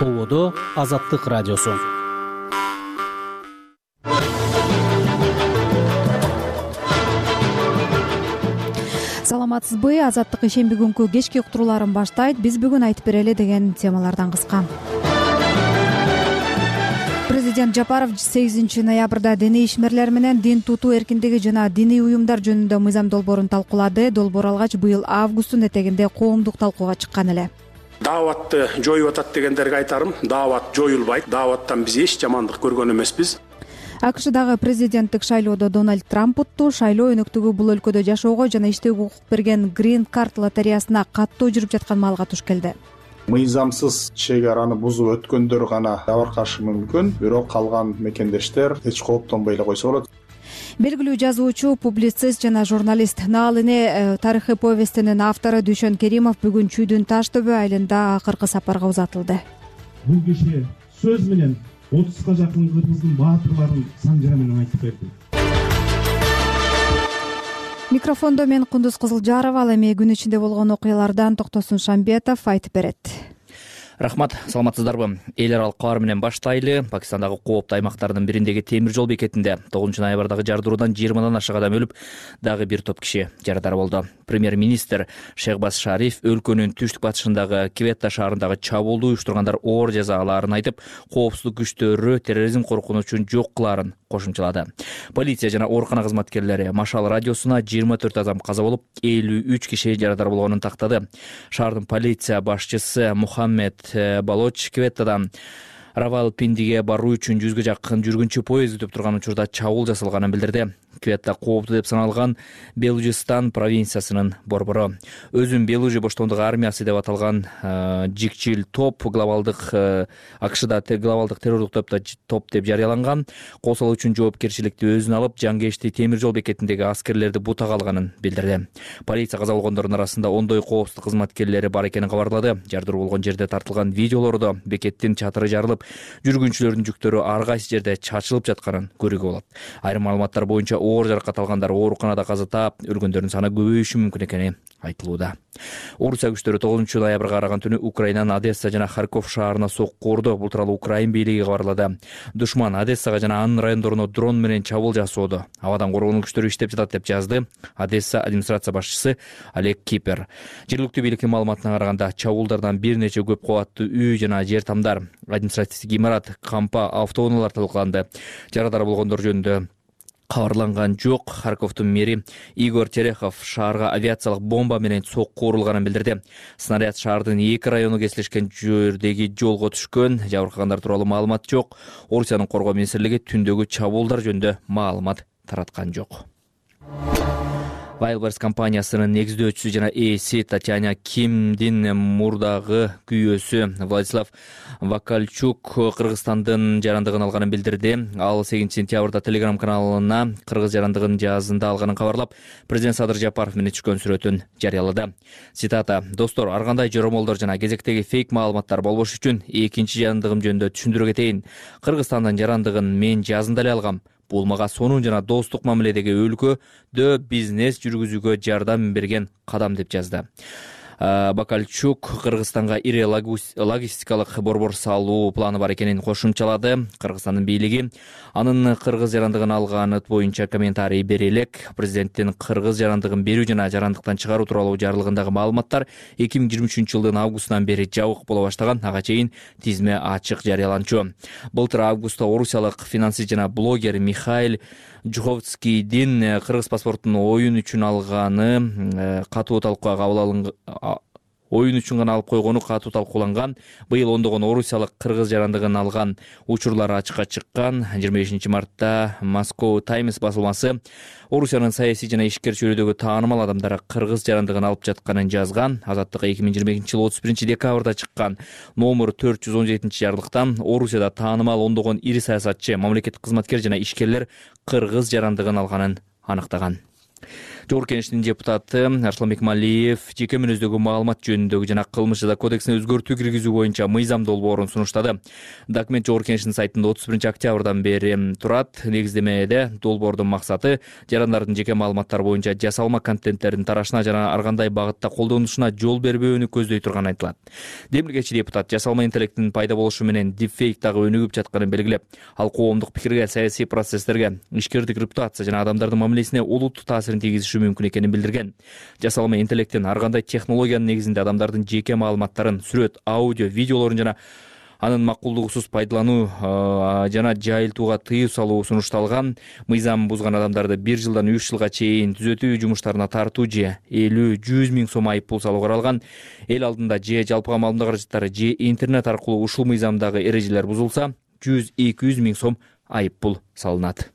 Ободо Азаттык радиосу. Саламатсызбы? Азаттык ишемби күнкү кечки уктурууларын баштайт. Биз бүгүн айтып берели деген темалардан кыска. Президент Жапаров 8 ноябрда диний ишмерлер менен дин тутуу эркиндиги жана диний уюмдар жөнүндө мыйзам долбоорун талкуулады. Долбоор алгач быйыл августтун этегинде коомдук талкууга чыккан эле. Дааватты жоюп атат дегендерге айтарым, даават жоюлбайт. Дааваттан биз эч жамандык көргөн эмеспиз. АКШдагы президенттик шайлоодо Дональд Трамп утту. Шайлоо өнөктүгү бул өлкөдө жашоого жана иштөөгө укук берген Green Card лотереясына каттуу жүрүп жаткан малга туш келди. Мыйзамсыз чек араны бузуп өткөндөр гана жабыркашы мүмкүн, бирок калган мекендештер эч кооптонбой эле койсо болот. Белгилүү жазуучу, публицист жана журналист Наалыне тарыхый повестинин автору Дүйшөн Керимов бүгүн Чүйдүн Таш-төбө айылында акыркы сапарга узатылды. Бул киши сөз менен 30га жакын кыргыздын баатырларын саңжара менен айтып берди. Микрофондо мен Кундуз Кызылжарова. Ал эми күн ичинде болгон окуялардан Токтосун Шамбетов айтып берет. Рахмат, саламатсыздарбы? Эл аралык кабар менен баштайлы. Пакистандагы кооптуу аймактардын бириндеги темир жол бекетинде 9 ноябрдагы жардыруудан 20дан ашык адам өлүп, дагы бир топ киши жарадар болду. Премьер-министр Шехбаз Шариф өлкөнүн түштүк батышындагы Кветта шаарындагы чабуулду уюштургандар оор жаза алаарын айтып, коопсуздук күчтөрү терроризм коркунучун жок кылаарын кошумчалады. Полиция жана оорукана кызматкерлери Машал радиосуна 24 адам каза болуп, 53 киши жарадар болгонун тактады. Шаардын полиция башчысы Мухаммед Балоч Кветтадан Равалпиндиге баруу үчүн 100га жакын жүргүнчү поезд күтүп турган учурда чабуул жасалганын билдирди. Кветта кооптуу деп саналган Белужистан провинциясынын борбору. Өзүн Белужи боштондук армиясы деп аталган жикчил топ глобалдык АКШда глобалдык террорлук топ деп жарыяланган. Кол үчүн жоопкерчиликти өзүнө алып, Жангешти темир жол бекетиндеги аскерлерди бутага алганын билдирди. Полиция каза болгондордун арасында ондой коопсуздук кызматкерлери бар экенин кабарлады. Жардыруу болгон жерде тартылган видеолордо бекеттин чатыры жарылып, жүргүнчүлөрдүн жүктөрү ар кайсы жерде чачылып жатканын көрүүгө болот. Айрым маалыматтар боюнча оор жаракат алгандар ооруканада каза таап, өлгөндөрдүн саны көбөйүшү мүмкүн экени айтылууда. Орусия күчтөрү 9 ноябрга караган түнү Украинанын Одесса жана Харьков шаарына сокку урду. Бул тууралуу Украин бийлиги кабарлады. Душман Одессага жана анын райондоруна дрон менен чабуул жасоодо. Абадан коргонуу күчтөрү иштеп жатат деп жазды Одесса администрация башчысы Олег Кипер. Жергиликтүү бийликтин маалыматына караганда, чабуулдардан бир нече көп кабаттуу үй жана жер тамдар, административдик имарат, кампа, автоунаалар талкаланды. Жарадар болгондор жөнүндө кабарланган жок. Харьковдун мэри Игорь Терехов шаарга авиациялык бомба менен сокку урулганын билдирди. Снаряд шаардын 2 району кесилишкен жердеги жолго түшкөн. Жабыркагандар тууралуу маалымат жок. Орусиянын коргоо министрлиги түндөгү чабуулдар жөнүндө маалымат тараткан жок. Wildberries компаниясынын негиздөөчүсү жана ээси Татьяна Кимдин мурдагы күйөөсү Владислав Вакальчук Кыргызстандын жарандыгын алганын билдирди. Ал 8 сентябрда Telegram каналына кыргыз жарандыгын жазында алганын кабарлап, президент Садыр Жапаров менен түшкөн сүрөтүн жарыялады. Цитата: "Достор, ар кандай жоромолдор жана кезектеги фейк маалыматтар болбош үчүн экинчи жарандыгым жөнүндө түшүндүрө кетейин. Кыргызстандын жарандыгын мен жазында эле алгам. Бул мага сонун жана достук мамиледеги өлкөдө бизнес жүргүзүүгө жардам берген кадам", деп жазды. Бакальчук Кыргызстанга ири логистикалык борбор салуу планы бар экенин кошумчалады. Кыргызстандын бийлиги анын кыргыз жарандыгын алганы боюнча комментарий бере элек. Президенттин кыргыз жарандыгын берүү жана жарандыктан чыгаруу тууралуу жарлыгындагы маалыматтар 2023 жылдын августунан бери жабык боло баштаган. Ага чейин тизме ачык жарыяланчу. Былтыр августта орусиялык финансист жана блогер Михаил Жуховскийдин кыргыз паспортун оюн үчүн алганы катуу талкууга кабыл алынган. Оюн үчүн гана алып койгону катуу талкууланган. Быйыл ондогон орусиялык кыргыз жарандыгын алган учурлар ачыкка чыккан. 25 мартта Moscow Times басылмасы Орусиянын саясий жана ишкер чөйрөдөгү таанымал адамдар кыргыз жарандыгын алып жатканын жазган. Азаттык 2022 жыл 31 декабрда чыккан номер 417 жарлыктан Орусияда таанымал ондогон ири саясатчы, мамлекеттик кызматкер жана ишкерлер кыргыз жарандыгын алганын аныктаган. Жогорку Кеңештин депутаты Арслан Бекмалиев жеке мүнөздөгү маалымат жөнүндөгү жана кылмыш жаза кодексине өзгөртүү киргизүү боюнча мыйзам долбоорун сунуштады. Документ Жогорку Кеңештин сайтында 31-октябрдан бери турат. Негиздемеде долбоордун максаты жарандардын жеке маалыматтары боюнча жасалма контенттердин тарашына жана ар кандай багытта колдонушуна жол бербөөнү көздөй турганы айтылат. Демилгечи депутат жасалма интеллекттин пайда болушу менен дипфейк дагы өнүгүп жатканын белгилеп, ал коомдук пикирге, саясий процесстерге, ишкердик репутация жана адамдардын мамилесине олуттуу таасирин тийгизиши мүмкүн экенин билдирген. Жасалма интеллекттин ар кандай технологиянын негизинде адамдардын жеке маалыматтарын, сүрөт, аудио, видеолорун жана анын макулдугусуз пайдалануу жана жайылтууга тыюу салуу сунушталган. Мыйзам бузган адамдарды 1 жылдан 3 жылга чейин түзөтүү жумуштарына тартуу же 50-100 миң сом айып пул салуу каралган. Эл алдында же жалпыга маалымат каражаттары же интернет аркылуу ушул мыйзамдагы эрежелер бузулса 100-200 миң сом айып пул салынат.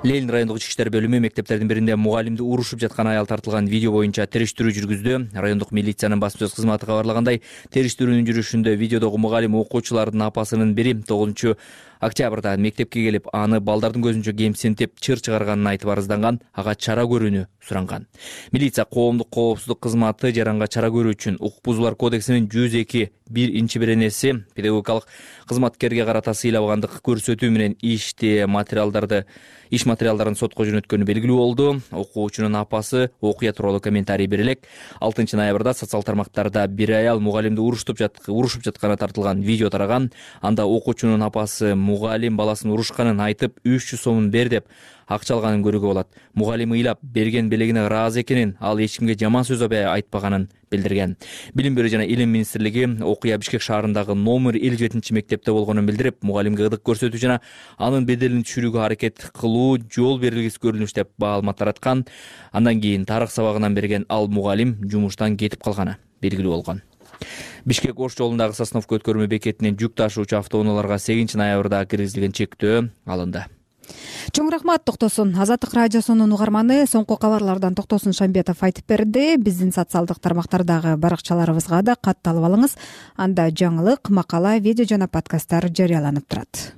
Ленин райондук ички иштер бөлүмү мектептердин биринде мугалимди урушуп жаткан аял тартылган видео боюнча териштирүү жүргүздү. Райондук милициянын басма сөз кызматы кабарлагандай, териштирүүнүн жүрүшүндө видеодогу мугалим окуучулардын апасынын бири 9-октябрда мектепке келип, аны балдардын көзүнчө кемсинтип, чыр чыгарганын айтып арызданган, ага чара көрүүнү суранган. Милиция коомдук коопсуздук кызматы жаранга чара көрүү үчүн Укук бузуулар кодексинин 102-1 беренеси педагогикалык кызматкерге карата сыйлабагандык көрсөтүү менен иш материалдарын сотко жөнөткөнү белгилүү болду. Окуучунун апасы окуя тууралуу комментарий бере элек. 6 ноябрда социал тармактарда бир аял мугалимди урушуп жатканы тартылган видео тараган. Анда окуучунун апасы мугалим баласын урушканын айтып 300 сомун бер деп акча алганын көрүүгө болот. Мугалим ыйлап берген белегине ыраазы экенин, ал эч кимге жаман сөз айтпаганын билдирген. Билим берүү жана илим министрлиги окуя Бишкек шаарындагы номер 57 мектепте болгонун билдирип, мугалимге ыдык көрсөтүү жана анын беделин түшүрүүгө аракет кылуу жол берилгис көрүнүш деп маалымат тараткан. Андан кийин тарых сабагынан берген ал мугалим жумуштан кетип калганы белгилүү болгон. Бишкек Ош жолундагы Сосновка өткөрмө бекетинен жүк ташуучу автоунааларга 8 ноябрда киргизилген чектөө алынды. Чоң рахмат, Токтосун. Азаттык радиосунун угарманы соңку кабарлардан Токтосун Шамбетов айтып берди. Биздин социалдык тармактардагы баракчаларыбызга да катталып алыңыз. Анда жаңылык, макала, видео жана подкасттар жарыяланып турат.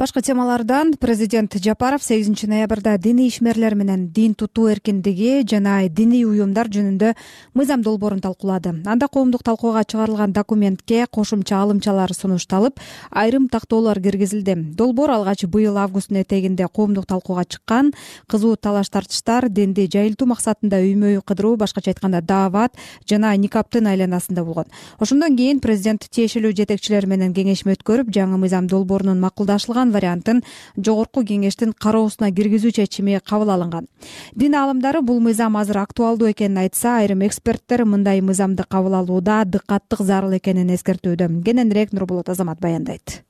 Башка темалардан президент Жапаров 8 ноябрда диний ишмерлер менен дин тутуу эркиндиги жана диний уюмдар жөнүндө мыйзам долбоорун талкуулады. Анда коомдук талкууга чыгарылган документке кошумча алымчалар сунушталып, айрым тактоолор киргизилди. Долбоор алгач быйыл августтун этегинде коомдук талкууга чыккан. Кызуу талаш-тартыштар динди жайылтуу максатында үймө-үй кыдыруу, башкача айтканда даават жана никаптын айланасында болгон. Ошондон кийин президент тиешелүү жетекчилер менен кеңешме өткөрүп, жаңы мыйзам долбоорунун макулдашылган вариантын Жогорку Кеңештин кароосуна киргизүү чечими кабыл алынган. Дин аалымдары бул мыйзам азыр актуалдуу экенин айтса, айрым эксперттер мындай мыйзамды кабыл алууда дыкаттык зарыл экенин эскертүүдө. Кененирээк Нурболот Азамат баяндайт.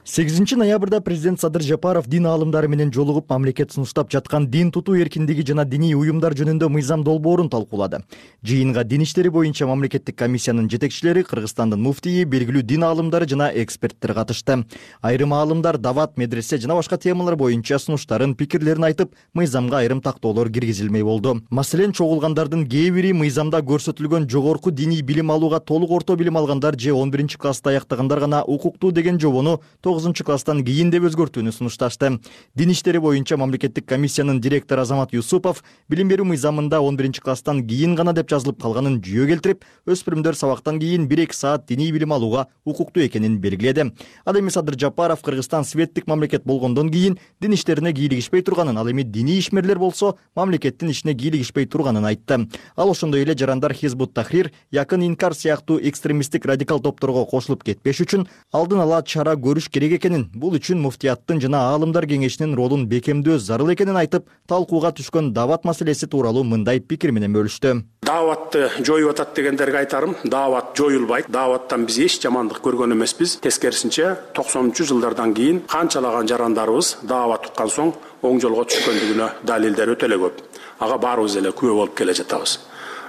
8 ноябрда президент Садыр Жапаров дин аалымдары менен жолугуп, мамлекет сунуштап жаткан дин тутуу эркиндиги жана диний уюмдар жөнүндө мыйзам долбоорун талкуулады. Жыйынга дин иштери боюнча мамлекеттик комиссиянын жетекчилери, Кыргызстандын муфтийи, белгилүү дин аалымдары жана эксперттер катышты. Айрым аалымдар дават, медресе жана башка темалар боюнча сунуштарын, пикирлерин айтып, мыйзамга айрым тактоолор киргизилмей болду. Маселен, чогулгандардын кээ бири мыйзамда көрсөтүлгөн жогорку диний билим алууга толук орто билим алгандар же 11-классты аяктагандар гана укуктуу деген жобону 9-класстан кийин деп өзгөртүүнү сунушташты. Дин иштери боюнча мамлекеттик комиссиянын директору Азамат Юсупов билим берүү мыйзамында 11-класстан кийин гана деп жазылып калганын жүйө келтирип, өспүрүмдөр сабактан кийин 1-2 саат диний билим алууга укуктуу экенин белгиледи. Ал эми Садыр Жапаров Кыргызстан светтик мамлекет болгондон кийин дин иштерине кийлигишпей турганын, ал эми диний ишмерлер болсо мамлекеттин ишине кийлигишпей турганын айтты. Ал ошондой эле жарандар Хизбут Тахрир, Якын Инкар сыяктуу экстремисттик радикал топторго кошулуп кетпеш үчүн алдын ала чара көрүш керек экенин, бул үчүн муфтияттын жана аалымдар кеңешинин ролун бекемдөө зарыл экенин айтып, талкууга түшкөн дават маселеси тууралуу мындай пикир менен бөлүштү. Дааватты жоюп атат дегендерге айтарым, даават жоюлбайт. Дааваттан биз эч жамандык көргөн эмеспиз. Тескерисинче 90-жылдардан кийин канчалаган жарандарыбыз даават уккан соң оң жолго түшкөндүгүнө далилдер өтө эле көп. Ага баарыбыз эле күбө болуп келе жатабыз.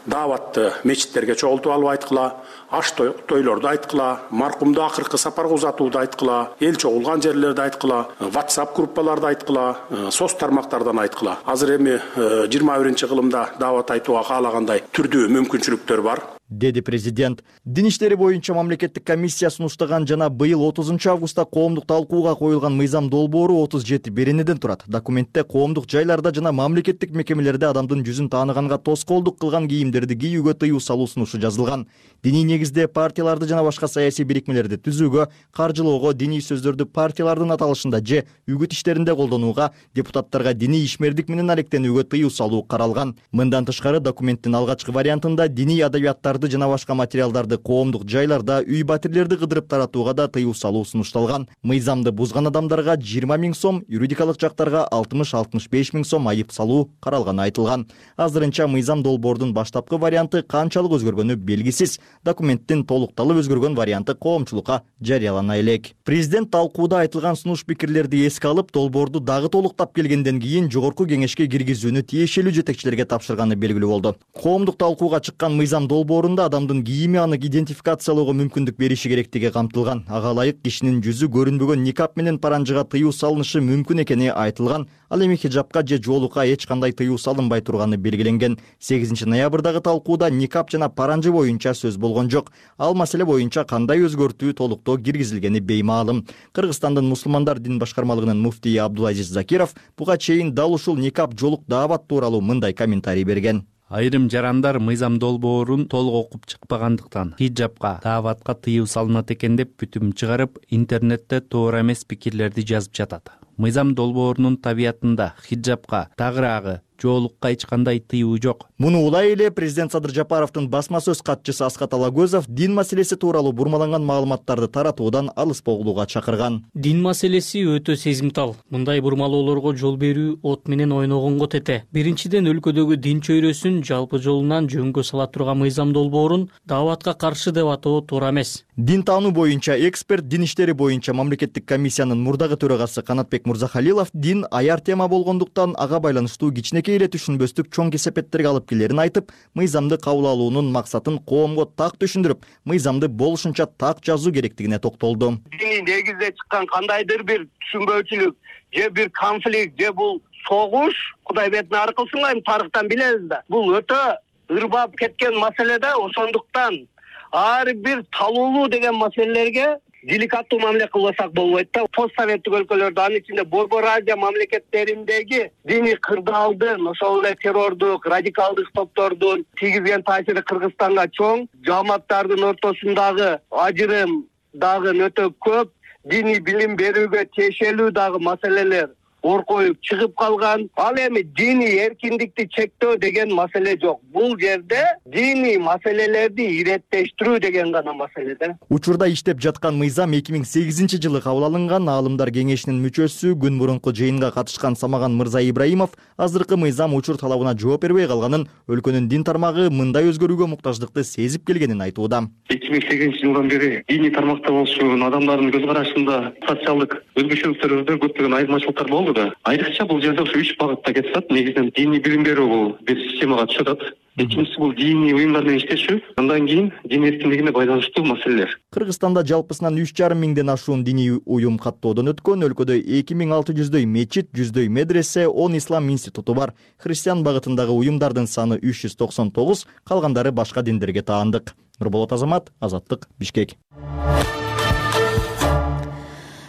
дааватты мечиттерге чогултуп алып айткыла, аш тойлорду айткыла, маркумду акыркы сапарга узатууду айткыла, эл чогулган жерлерди айткыла, WhatsApp группаларды айткыла, соц тармактардан айткыла. Азыр эми 21-кылымда даават айтууга каалагандай түрдүү мүмкүнчүлүктөр бар, деди президент. Дин иштери боюнча мамлекеттик комиссия сунуштаган жана быйыл 30 августта коомдук талкууга коюлган мыйзам долбоору 37 беренеден турат. Документте коомдук жайларда жана мамлекеттик мекемелерде адамдын жүзүн тааныганга тоскоолдук кылган кийимдерди кийүүгө тыюу салуу сунушу жазылган. Диний негизде партияларды жана башка саясий бирикмелерди түзүүгө, каржылоого, диний сөздөрдү партиялардын аталышында же үгүт иштеринде колдонууга, депутаттарга диний ишмердик менен алектенүүгө тыюу салуу каралган. Мындан тышкары документтин алгачкы вариантында диний адабияттарды жана башка материалдарды коомдук жайларда, үй батирлерди кыдырып таратууга да тыюу салуу сунушталган. Мыйзамды бузган адамдарга 20 000 сом, юридикалык жактарга 60-65 000 сом айып салуу каралганы айтылган. Азырынча мыйзам долбоордун баштапкы варианты канчалык өзгөргөнү белгисиз. Документтин толукталып өзгөргөн варианты коомчулукка жарыялана элек. Президент талкууда айтылган сунуш пикирлерди эске алып, долбоорду дагы толуктап келгенден кийин жогорку кеңешке киргизүүнү тиешелүү жетекчилерге тапшырганы белгилүү болду. Коомдук талкууга чыккан мыйзам долбоорунда адамдын кийими аны идентификациялоого мүмкүндүк бериши керектиги камтылган. Ага ылайык кишинин жүзү көрүнбөгөн никап менен паранжыга тыюу салынышы мүмкүн экени айтылган. Ал эми хиджабка же жоолукка эч кандай тыюу салынбай турганы белгиленген. 8 ноябрдагы талкууда никап жана паранжы боюнча сөз болгон жок. Ал маселе боюнча кандай өзгөртүү толуктоо киргизилгени беймаалым. Кыргызстандын мусулмандар дин башкармалыгынын муфтийи Абдулазиз Закиров буга чейин дал ушул никап жоолук даават тууралуу мындай комментарий берген. Айрым жарандар мыйзам долбоорун толук окуп чыкпагандыктан хиджабка, дааватка тыюу салынат экен деп бүтүм чыгарып, интернетте туура эмес пикирлерди жазып жатат. Мыйзам долбоорунун табиятында хиджабка, тагыраагы, жоолукка эч кандай тыюу жок. Муну улай эле президент Садыр Жапаровдун басма сөз катчысы Аскат Алагөзов дин маселеси тууралуу бурмаланган маалыматтарды таратуудан алыспогулууга чакырган. Дин маселеси өтө сезимтал. Мындай бурмалоолорго жол берүү от менен ойногонго тете. Биринчиден өлкөдөгү дин чөйрөсүн жалпы жолунан жөнгө сала турган мыйзам долбоорун дааватка каршы деп атоо туура эмес. Дин таануу боюнча эксперт, дин иштери боюнча мамлекеттик комиссиянын мурдагы төрагасы Канатбек Мурзахалилов дин аяр тема болгондуктан ага байланыштуу кичинекей эле түшүнбөстүк чоң кесепеттерге алып келерин айтып, мыйзамды кабыл алуунун максатын коомго так түшүндүрүп, мыйзамды болушунча так жазуу керектигине токтолду. Диний негизде чыккан кандайдыр бир түшүнбөөчүлүк же бир конфликт же бул согуш, Кудай бетин ары кылсын, эми тарыхтан билебиз да. Бул өтө ырбап кеткен маселе да, ошондуктан ар бир талуулуу деген маселелерге деликаттуу мамиле кылбасак болбойт да. Постсоветтик өлкөлөрдө, анын ичинде Борбор Азия мамлекеттериндеги диний кырдаалдын, ошол эле террордук, радикалдык топтордун тийгизген таасири Кыргызстанга чоң, жамааттардын ортосундагы ажырым дагы өтө көп, диний билим берүүгө тиешелүү дагы маселелер оркоюп чыгып калган. Ал эми диний эркиндикти чектөө деген маселе жок. Бул жерде диний маселелерди иреттештирүү деген гана маселе да. Учурда иштеп жаткан мыйзам 2008 жылы кабыл алынган. Аалымдар кеңешинин мүчөсү, күн мурунку жыйынга катышкан Самаган Мырза Ибраимов азыркы мыйзам учур талабына жооп бербей калганын, өлкөнүн дин тармагы мындай өзгөрүүгө муктаждыкты сезип келгенин айтууда. 2008 жылдан бери диний тармакта болчу адамдардын көз карашында социалдык өзгөчөлүктөрдө көптөгөн айырмачылыктар болду. Айрыкча бул жерде ушу 3 багытта кетет. Негизинен диний билим берүү бул бир системага түшөт. Экинчиси бул диний уюмдар менен иштешүү, андан кийин дин эркиндигине байланыштуу маселелер. Кыргызстанда жалпысынан 3,5 миңден ашуун диний уюм каттоодон өткөн. Өлкөдө 2600дөй мечит, 100дөй медресе, 10 ислам институту бар. Христиан багытындагы уюмдардын саны 399, калгандары башка диндерге таандык. Нурболот Азамат, Азаттык, Бишкек.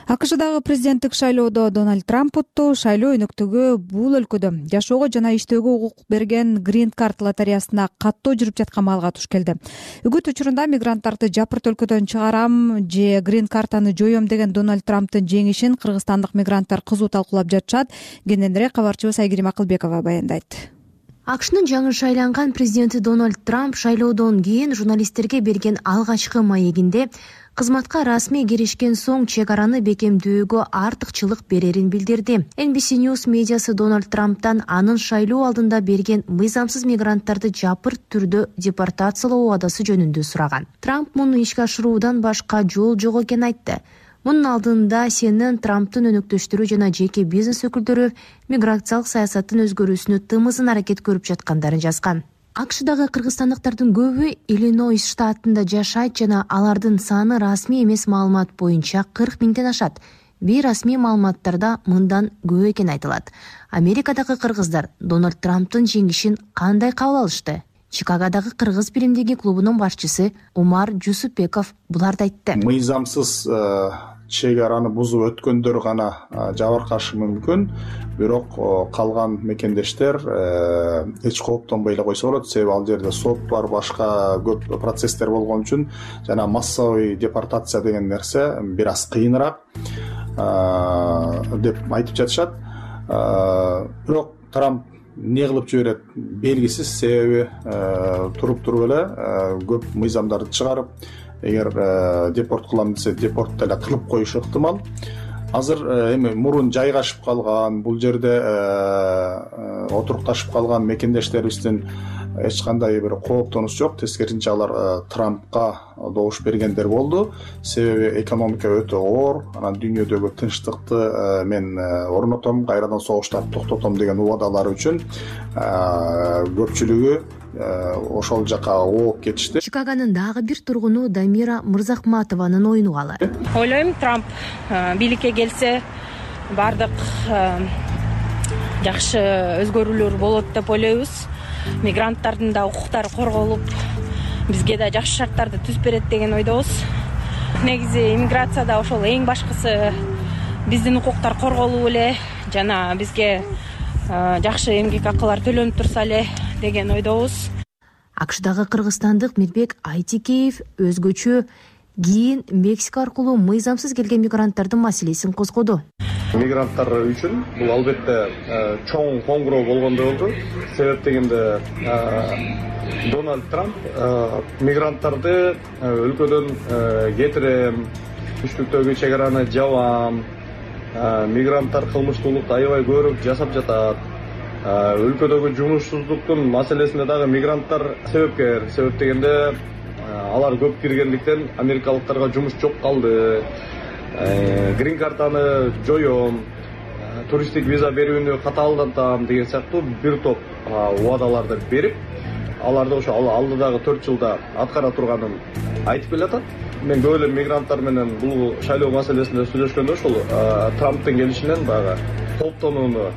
АКШдагы президенттик шайлоодо Дональд Трамп утту. Шайлоо өнөктөгү бул өлкөдө жашоого жана иштөөгө укук берген Green Card лотереясына каттоо жүрүп жаткан маалга туш келди. Үгүт учурунда мигранттарды жапырт өлкөдөн чыгарам же Green Card'аны жоём деген Дональд Трамптын жеңишин кыргызстандык мигранттар кызуу талкуулап жатышат. Кененирээк кабарчыбыз Айгерим Акылбекова баяндайт. АКШнын жаңы шайланган президенти Дональд Трамп шайлоодон кийин журналисттерге берген алгачкы маегинде кызматка расмий киришкен соң чек араны бекемдүүгө артыкчылык берерин билдирди. NBC News медиасы Дональд Трамптан анын шайлоо алдында берген мыйзамсыз мигранттарды жапырт түрдө депортациялоо убадасы жөнүндө сураган. Трамп муну ишке ашыруудан башка жол жок экенин айтты. Мунун алдында CNN Трамптын өнөктөштөрү жана жеке бизнес өкүлдөрү миграциялык саясаттын өзгөрүүсүнө тымызын аракет көрүп жаткандарын жазган. АКШдагы кыргызстандыктардын көбү Иллинойс штатында жашайт жана алардын саны расмий эмес маалымат боюнча 40 миңден ашат. Бейрасмий маалыматтарда мындан көп экени айтылат. Америкадагы кыргыздар Дональд Трамптын жеңишин кандай кабыл алышты? Чикагодагы кыргыз биримдиги клубунун башчысы Умар Жусупбеков буларды айтты. Мыйзамсыз чек араны бузуп өткөндөр гана жабыркашы мүмкүн, бирок калган мекендештер эч кооптонбой эле койсо болот. Себеби ал жерде сот бар, башка көп процесстер болгон үчүн жана массовый депортация деген нерсе бир аз кыйыныраак деп айтып жатышат. Бирок Трамп эмне кылып жиберет белгисиз, себеби туруп эле көп мыйзамдарды чыгарып, эгер депорт кылам десе депорт деле кылып коюшу ыктымал. Азыр эми мурун жайгашып калган, бул жерде отурукташып калган мекендештерибиздин эч кандай бир кооптонуш жок. Тескерисинче алар Трампка добуш бергендер болду. Себеби экономика өтө оор, анан дүйнөдөгү тынчтыкты мен орнотом, кайрадан согуштарды токтотом деген убадалары үчүн көпчүлүгү ошол жака ооп кетишти. Чикагонун дагы бир тургуну Дамира Мырзахматованын оюн угалы. Ойлойм, Трамп бийликке келсе бардык жакшы өзгөрүүлөр болот деп ойлойбуз. Мигранттардын да укуктары корголуп, бизге да жакшы шарттарды түзүп берет деген ойдобуз. Негизи иммиграцияда ошол эң башкысы биздин укуктар корголуп эле жана бизге жакшы эмгек акылар төлөнүп турса эле деген ойдобуз. АКШдагы кыргызстандык Мирбек Айтикеев өзгөчө кийин Мексика аркылуу мыйзамсыз келген мигранттардын маселесин козгоду. Мигранттар үчүн бул албетте чоң коңгуроо болгондой болду. Себеп дегенде Дональд Трамп мигранттарды өлкөдөн кетирем, түштүктөгү чек араны жабам, мигранттар кылмыштуулукту аябай көбүрөөк жасап жатат. Өлкөдөгү жумушсуздуктун маселесинде дагы мигранттар себепкер. Себеп дегенде алар көп киргендиктен америкалыктарга жумуш жок калды. Грин картаны жоём, туристтик виза берүүнү катаалдатам деген сыяктуу бир топ убадаларды берип, аларды ошо алдыдагы 4 жылда аткара турганын айтып келатат. Мен көп эле мигранттар менен бул шайлоо маселесинде сүйлөшкөндө ошол Трамптын келишинен баягы кооптонууну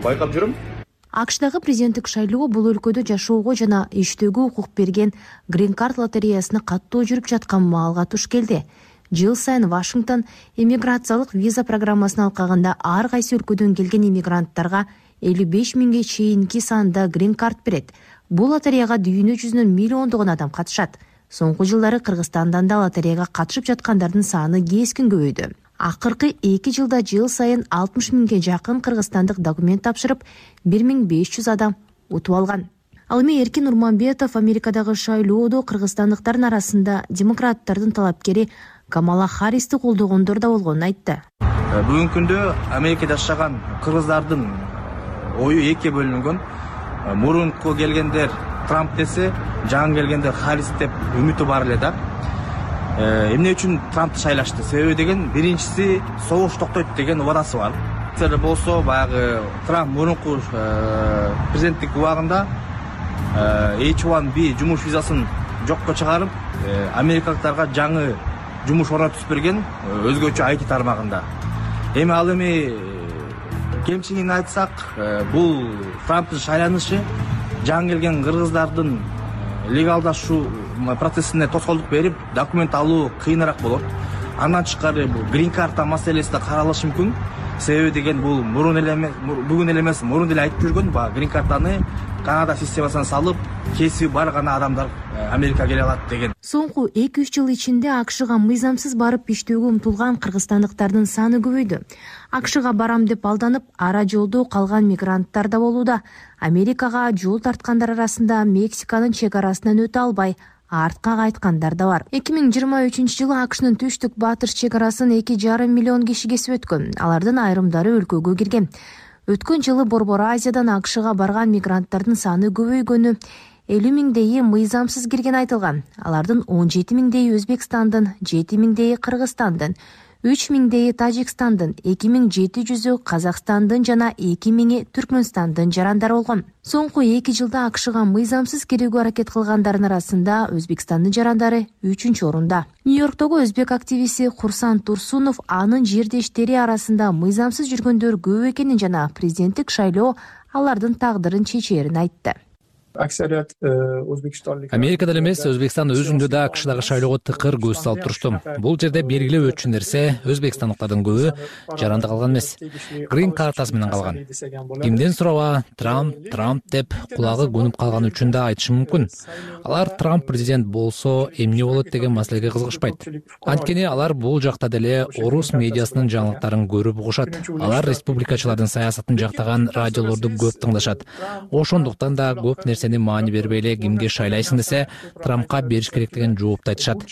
байкап жүрөм. АКШдагы президенттик шайлоо бул өлкөдө жашоого жана иштөөгө укук берген Green Card лотереясына каттоо жүрүп жаткан маалга туш келди. Жыл сайын Вашингтон иммиграциялык виза программасын алкагында ар кайсы өлкөдөн келген иммигранттарга 55 миңге чейинки санда Green Card берет. Бул лотереяга дүйнө жүзүнөн миллиондогон адам катышат. Соңку жылдары Кыргызстандан да лотереяга катышып жаткандардын саны кескин көбөйдү. Акыркы 2 жылда жыл сайын 60 миңге жакын кыргызстандык документ тапшырып, 1500 адам утуп алган. Ал эми Эркин Урманбетов Америкадагы шайлоодо кыргызстандыктардын арасында демократтардын талапкери Камала Харристи колдогондор да болгонун айтты. Бүгүнкү күндө Америкада жашаган кыргыздардын ою экиге бөлүнгөн. Мурунку келгендер Трамп десе, жаңы келгендер Харрис деп үмүтү бар эле да. Эмне үчүн Трампты шайлашты? Себеби деген биринчиси согуш токтойт деген убадасы бар. Сер болсо баягы Трамп мурунку президенттик убагында H1B жумуш визасын жокко чыгарып, америкалыктарга жаңы жумуш орнотуп берген өзгөчө IT тармагында. Эми ал эми кемчилигин айтсак, бул Трамптын шайланышы жаңы келген кыргыздардын легалдашуу процессине тоскоолдук берип, документ алуу кыйыныраак болот. Андан тышкары бул Green Card маселеси да каралышы мүмкүн. Себеби деген бул бүгүн эле эмес, мурун деле айтып жүргөн, Green Card'аны Канада системасына салып, кесиби бар гана адамдар Америкага келе алат деген. Соңку 2-3 жыл ичинде АКШга мыйзамсыз барып иштөөгө умтулган кыргызстандыктардын саны көбөйдү. АКШга барам деп алданып, ара жолдо калган мигранттар да болууда. Америкага жол тарткандар арасында Мексиканын чек арасынан өтө албай, артка кайткандар да бар. 2023-жылы АКШнын түштүк батыш чек арасын 2,5 миллион киши кесип өткөн. Алардын айрымдары өлкөгө кирген. Өткөн жылы Борбор Азиядан АКШга барган мигранттардын саны көбөйгөнү 50 миңдейи мыйзамсыз кирген айтылган. Алардын 17 миңдейи Өзбекстандын, 7 миңдейи Кыргызстандын, 3 миңдейи Тажикстандын, 2700-ü Казакстандын жана 2 миңи Түркмөнстандын жарандары болгон. Соңку 2 жылда АКШга мыйзамсыз кирүүгө аракет кылгандардын арасында Өзбекстандын жарандары 3-чү орунда. Нью-Йорктогу өзбек активисти Курсан Турсунов анын жердештери арасында мыйзамсыз жүргөндөр көп экенин жана президенттик шайлоо алардын тагдырын чечээрин айтты. Америкада эле эмес, Өзбекстан өзүндө да АКШдагы шайлоого тыкыр көз салып турушту. Бул жерде белгилеп өтчү нерсе, өзбекстандыктардын көбү жаранды калган эмес, грин картасы менен калган. Кимден сураба, Трамп деп кулагы көнүп калган үчүн да айтышы мүмкүн. Алар Трамп президент болсо эмне болот деген маселеге кызыгышпайт. Анткени алар бул жакта деле орус медиасынын жаңылыктарын көрүп угушат. Алар республикачылардын саясатын жактаган радиолорду көп тыңдашат. Ошондуктан да көп нерсени маани бербей эле кимге шайлайсың десе, Трампка бериш керек деген жоопту айтышат.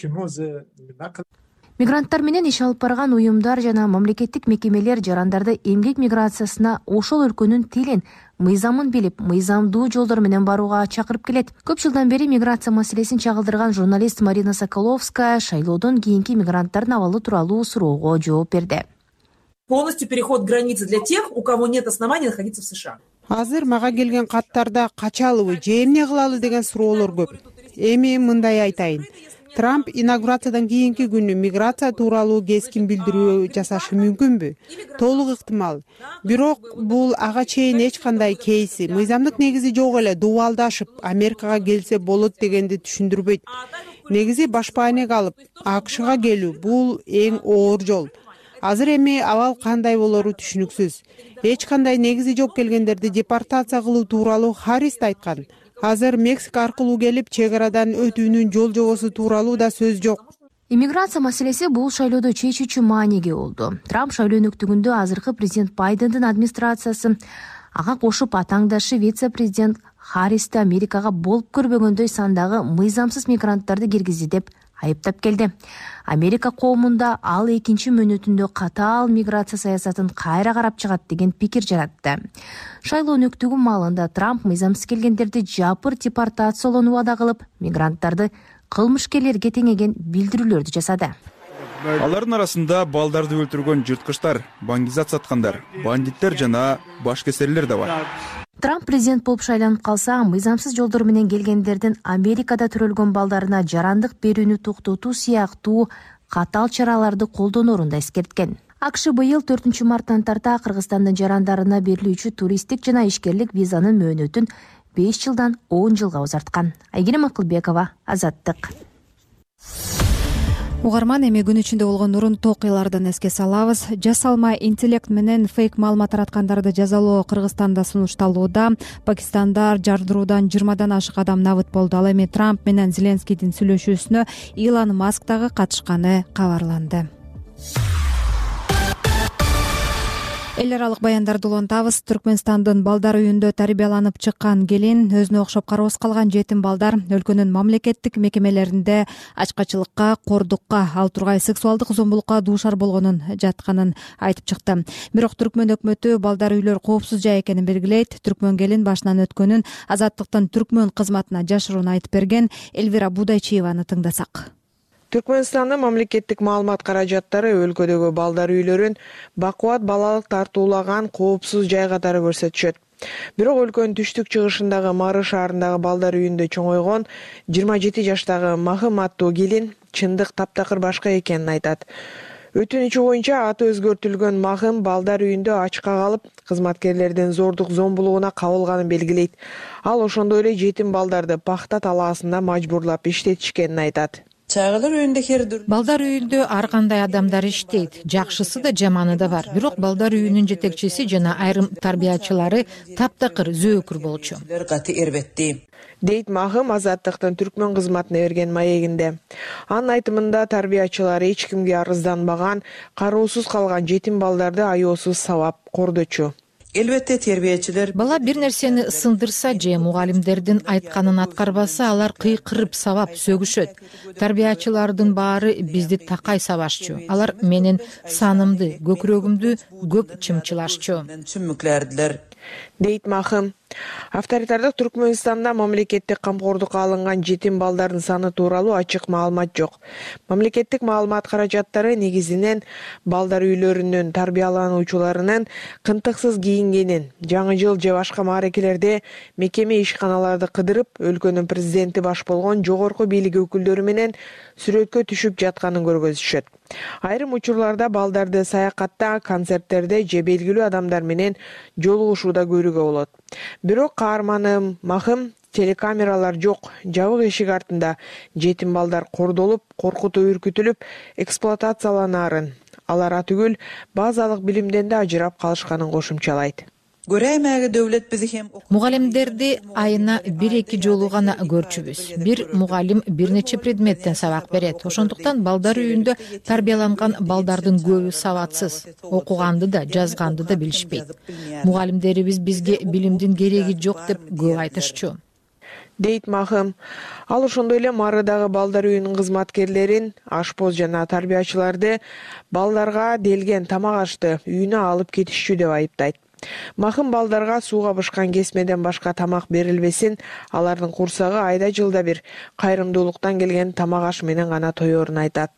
Мигранттар менен иш алып барган уюмдар жана мамлекеттик мекемелер жарандарды эмгек миграциясына ошол өлкөнүн тилин, мыйзамын билип, мыйзамдуу жолдор менен барууга чакырып келет. Көп жылдан бери миграция маселесин чагылдырган журналист Марина Соколовская шайлоодон кийинки мигранттардын абалы тууралуу суроого жооп берди. Полностью переход границы для тех, у кого нет оснований находиться в США. Азыр мага келген каттарда качалыбы же эмне кылалы деген суроолор көп. Эми мындай айтайын. Трамп инаугурациядан кийинки күнү миграция тууралуу кескин билдирүү жасашы мүмкүнбү? Толук ыктымал. Бирок бул ага чейин эч кандай кейси, мыйзамдык негизи жок эле дубалдашып Америкага келсе болот дегенди түшүндүрбөйт. Негизи башпаанек алып АКШга келүү бул эң оор жол. Азыр эми абал кандай болору түшүнүксүз. Эч кандай негизи жок келгендерди депортация кылуу тууралуу Харрис айткан. Азыр Мексика аркылуу келип чек арадан өтүүнүн жол жобосу тууралуу да сөз жок. Иммиграция маселеси бул шайлоодо чечүүчү мааниге болду. Трамп шайлоо өнөктүгүндө азыркы президент Байдендин администрациясы ага кошуп атаңдашы вице-президент Харристи Америкага болуп көрбөгөндөй сандагы мыйзамсыз мигранттарды киргизди деп айыптап келди. Америка коомунда ал экинчи мөөнөтүндө катаал миграция саясатын кайра карап чыгат деген пикир жаратты. Шайлоо өнөктүгү маалында Трамп мыйзамсыз келгендерди жапыр депортациялоону убада кылып, мигранттарды кылмышкерлерге теңеген билдирүүлөрдү жасады. Алардын арасында балдарды өлтүргөн жырткычтар, баңгизат саткандар, бандиттер жана башкесерлер да бар. Трамп президент болуп шайланып калса, мыйзамсыз жолдор менен келгендердин Америкада төрөлгөн балдарына жарандык берүүнү токтотуу сыяктуу катаал чараларды колдонорун да эскерткен. АКШ быйыл 4 марттан тарта Кыргызстандын жарандарына берилүүчү туристтик жана ишкерлик визанын мөөнөтүн 5 жылдан 10 жылга узарткан. Айгерим Акылбекова, Азаттык. Угарман, эми күн ичинде болгон урунттуу окуялардан эске салабыз. Жасалма интеллект менен фейк маалымат тараткандарды жазалоо Кыргызстанда сунушталууда. Пакистандар жардыруудан 20дан ашык адам набыт болду. Ал эми Трамп менен Зеленскийдин сүйлөшүүсүнө Илон Маск дагы катышканы кабарланды. Эл аралык баяндарды улантабыз. Түркмөнстандын балдар үйүндө тарбияланып чыккан келин, өзүнө окшоп кароосуз калган жетим балдар өлкөнүн мамлекеттик мекемелеринде ачкачылыкка, кордукка, ал тургай сексуалдык зомбулукка дуушар болгонун жатканын айтып чыкты. Бирок Түркмөн өкмөтү балдар үйлөр коопсуз жай экенин белгилейт. Түркмөн келин башынан өткөнүн Азаттыктын Түркмөн кызматына жашыруун айтып берген. Элвира Будайчиеваны тыңдасак. Түркмөнстандын мамлекеттик маалымат каражаттары өлкөдөгү балдар үйлөрүн бакубат балалык тартуулаган коопсуз жай катары көрсөтүшөт. Бирок өлкөнүн түштүк-чыгышындагы Мары шаарындагы балдар үйүндө чоңойгон 27 жаштагы Махым аттуу келин чындык таптакыр башка экенин айтат. Өтүнүчү боюнча аты өзгөртүлгөн Махым балдар үйүндө ачка калып, кызматкерлердин зордук зомбулугуна кабылганын белгилейт. Ал ошондой эле жетим балдарды пахта талаасында мажбурлап иштетишкенин айтат. Балдар үйүндө ар кандай адамдар иштейт. Жакшысы да жаманы да бар. Бирок балдар үйүнүн жетекчиси жана айрым тарбиячылары таптакыр зөөкүр болчу. Дейт Махым Азаттыктын Түркмөн кызматына берген маегинде. Анын айтымында тарбиячылары эч кимге арызданбаган, кароосуз калган жетим балдарды аяосуз сабап кордочу. Элбетте тербиячилер бала бир нерсени сындырса же мугалимдердин айтканын аткарбаса, алар кыйкырып сабап сөгүшөт. Тарбиячылардын баары бизди такай сабашчу. Алар менин санымды, көкүрөгүмдү көп чымчылашчу. Дейт Махым. Авторитардык Түркмөнстанда мамлекеттик камкордукка алынган жетим балдардын саны тууралуу ачык маалымат жок. Мамлекеттик маалымат каражаттары негизинен балдар үйлөрүнүн тарбиялануучуларынын кынтыксыз кийингенин, жаңы жыл же башка мааракелерде мекеме ишканаларды кыдырып, өлкөнүн президенти баш болгон жогорку бийлик өкүлдөрү менен сүрөткө түшүп жатканын көргөзүшөт. Айрым учурларда балдарды саякатта, концерттерде же белгилүү адамдар менен жолугушууда көрүүгө болот. Бирок каарманым Махым телекамералар жок, жабык эшик артында жетим балдар кордолуп, коркутуп үркүтүлүп, эксплуатацияланаарын, алар түгүл базалык билимден да ажырап калышканын кошумчалайт. Мугалимдерди айына 1-2 жолу гана көрчүбүз. Бир мугалим бир нече предметтен сабак берет. Ошондуктан балдар үйүндө тарбияланган балдардын көбү сабатсыз. Окуганды да, жазганды да билишпейт. Мугалимдерибиз бизге билимдин кереги жок деп көп айтышчу, дейт Махым. Ал ошондой эле Марыдагы балдар үйүнүн кызматкерлерин, ашпоз жана тарбиячыларды балдарга делген тамак ашты үйүнө алып кетишчү деп айыптайт. Махым балдарга сууга бышкан кесмеден башка тамак берилбесин, алардын курсагы айда жылда бир кайрымдуулуктан келген тамак аш менен гана тоёрун айтат.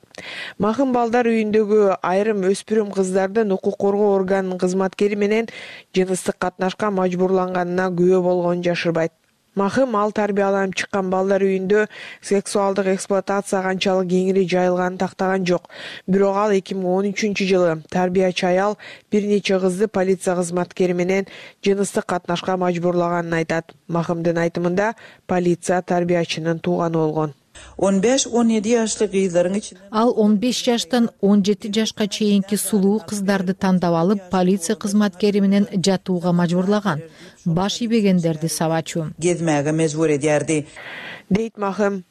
Махым балдар үйүндөгү айрым өспүрүм кыздардын укук коргоо органынын кызматкери менен жыныстык катнашка мажбурланганына күбө болгонун жашырбайт. Махым ал тарбияланып чыккан балдар үйүндө сексуалдык эксплуатация канчалык кеңири жайылганын тактаган жок. Бирок ал 2013-жылы тарбиячы аял бир нече кызды полиция кызматкери менен жыныстык катнашка мажбурлаганын айтат. Махымдын айтымында полиция тарбиячынын тууганы болгон. 15-17 жаштык кыздардын ичинен ал 15 жаштан 17 жашка чейинки сулуу кыздарды тандап алып, полиция кызматкери менен жатууга мажбурлаган. Баш ийбегендерди сабачу. Кетмеге мажбур эдерди, дейт Махым.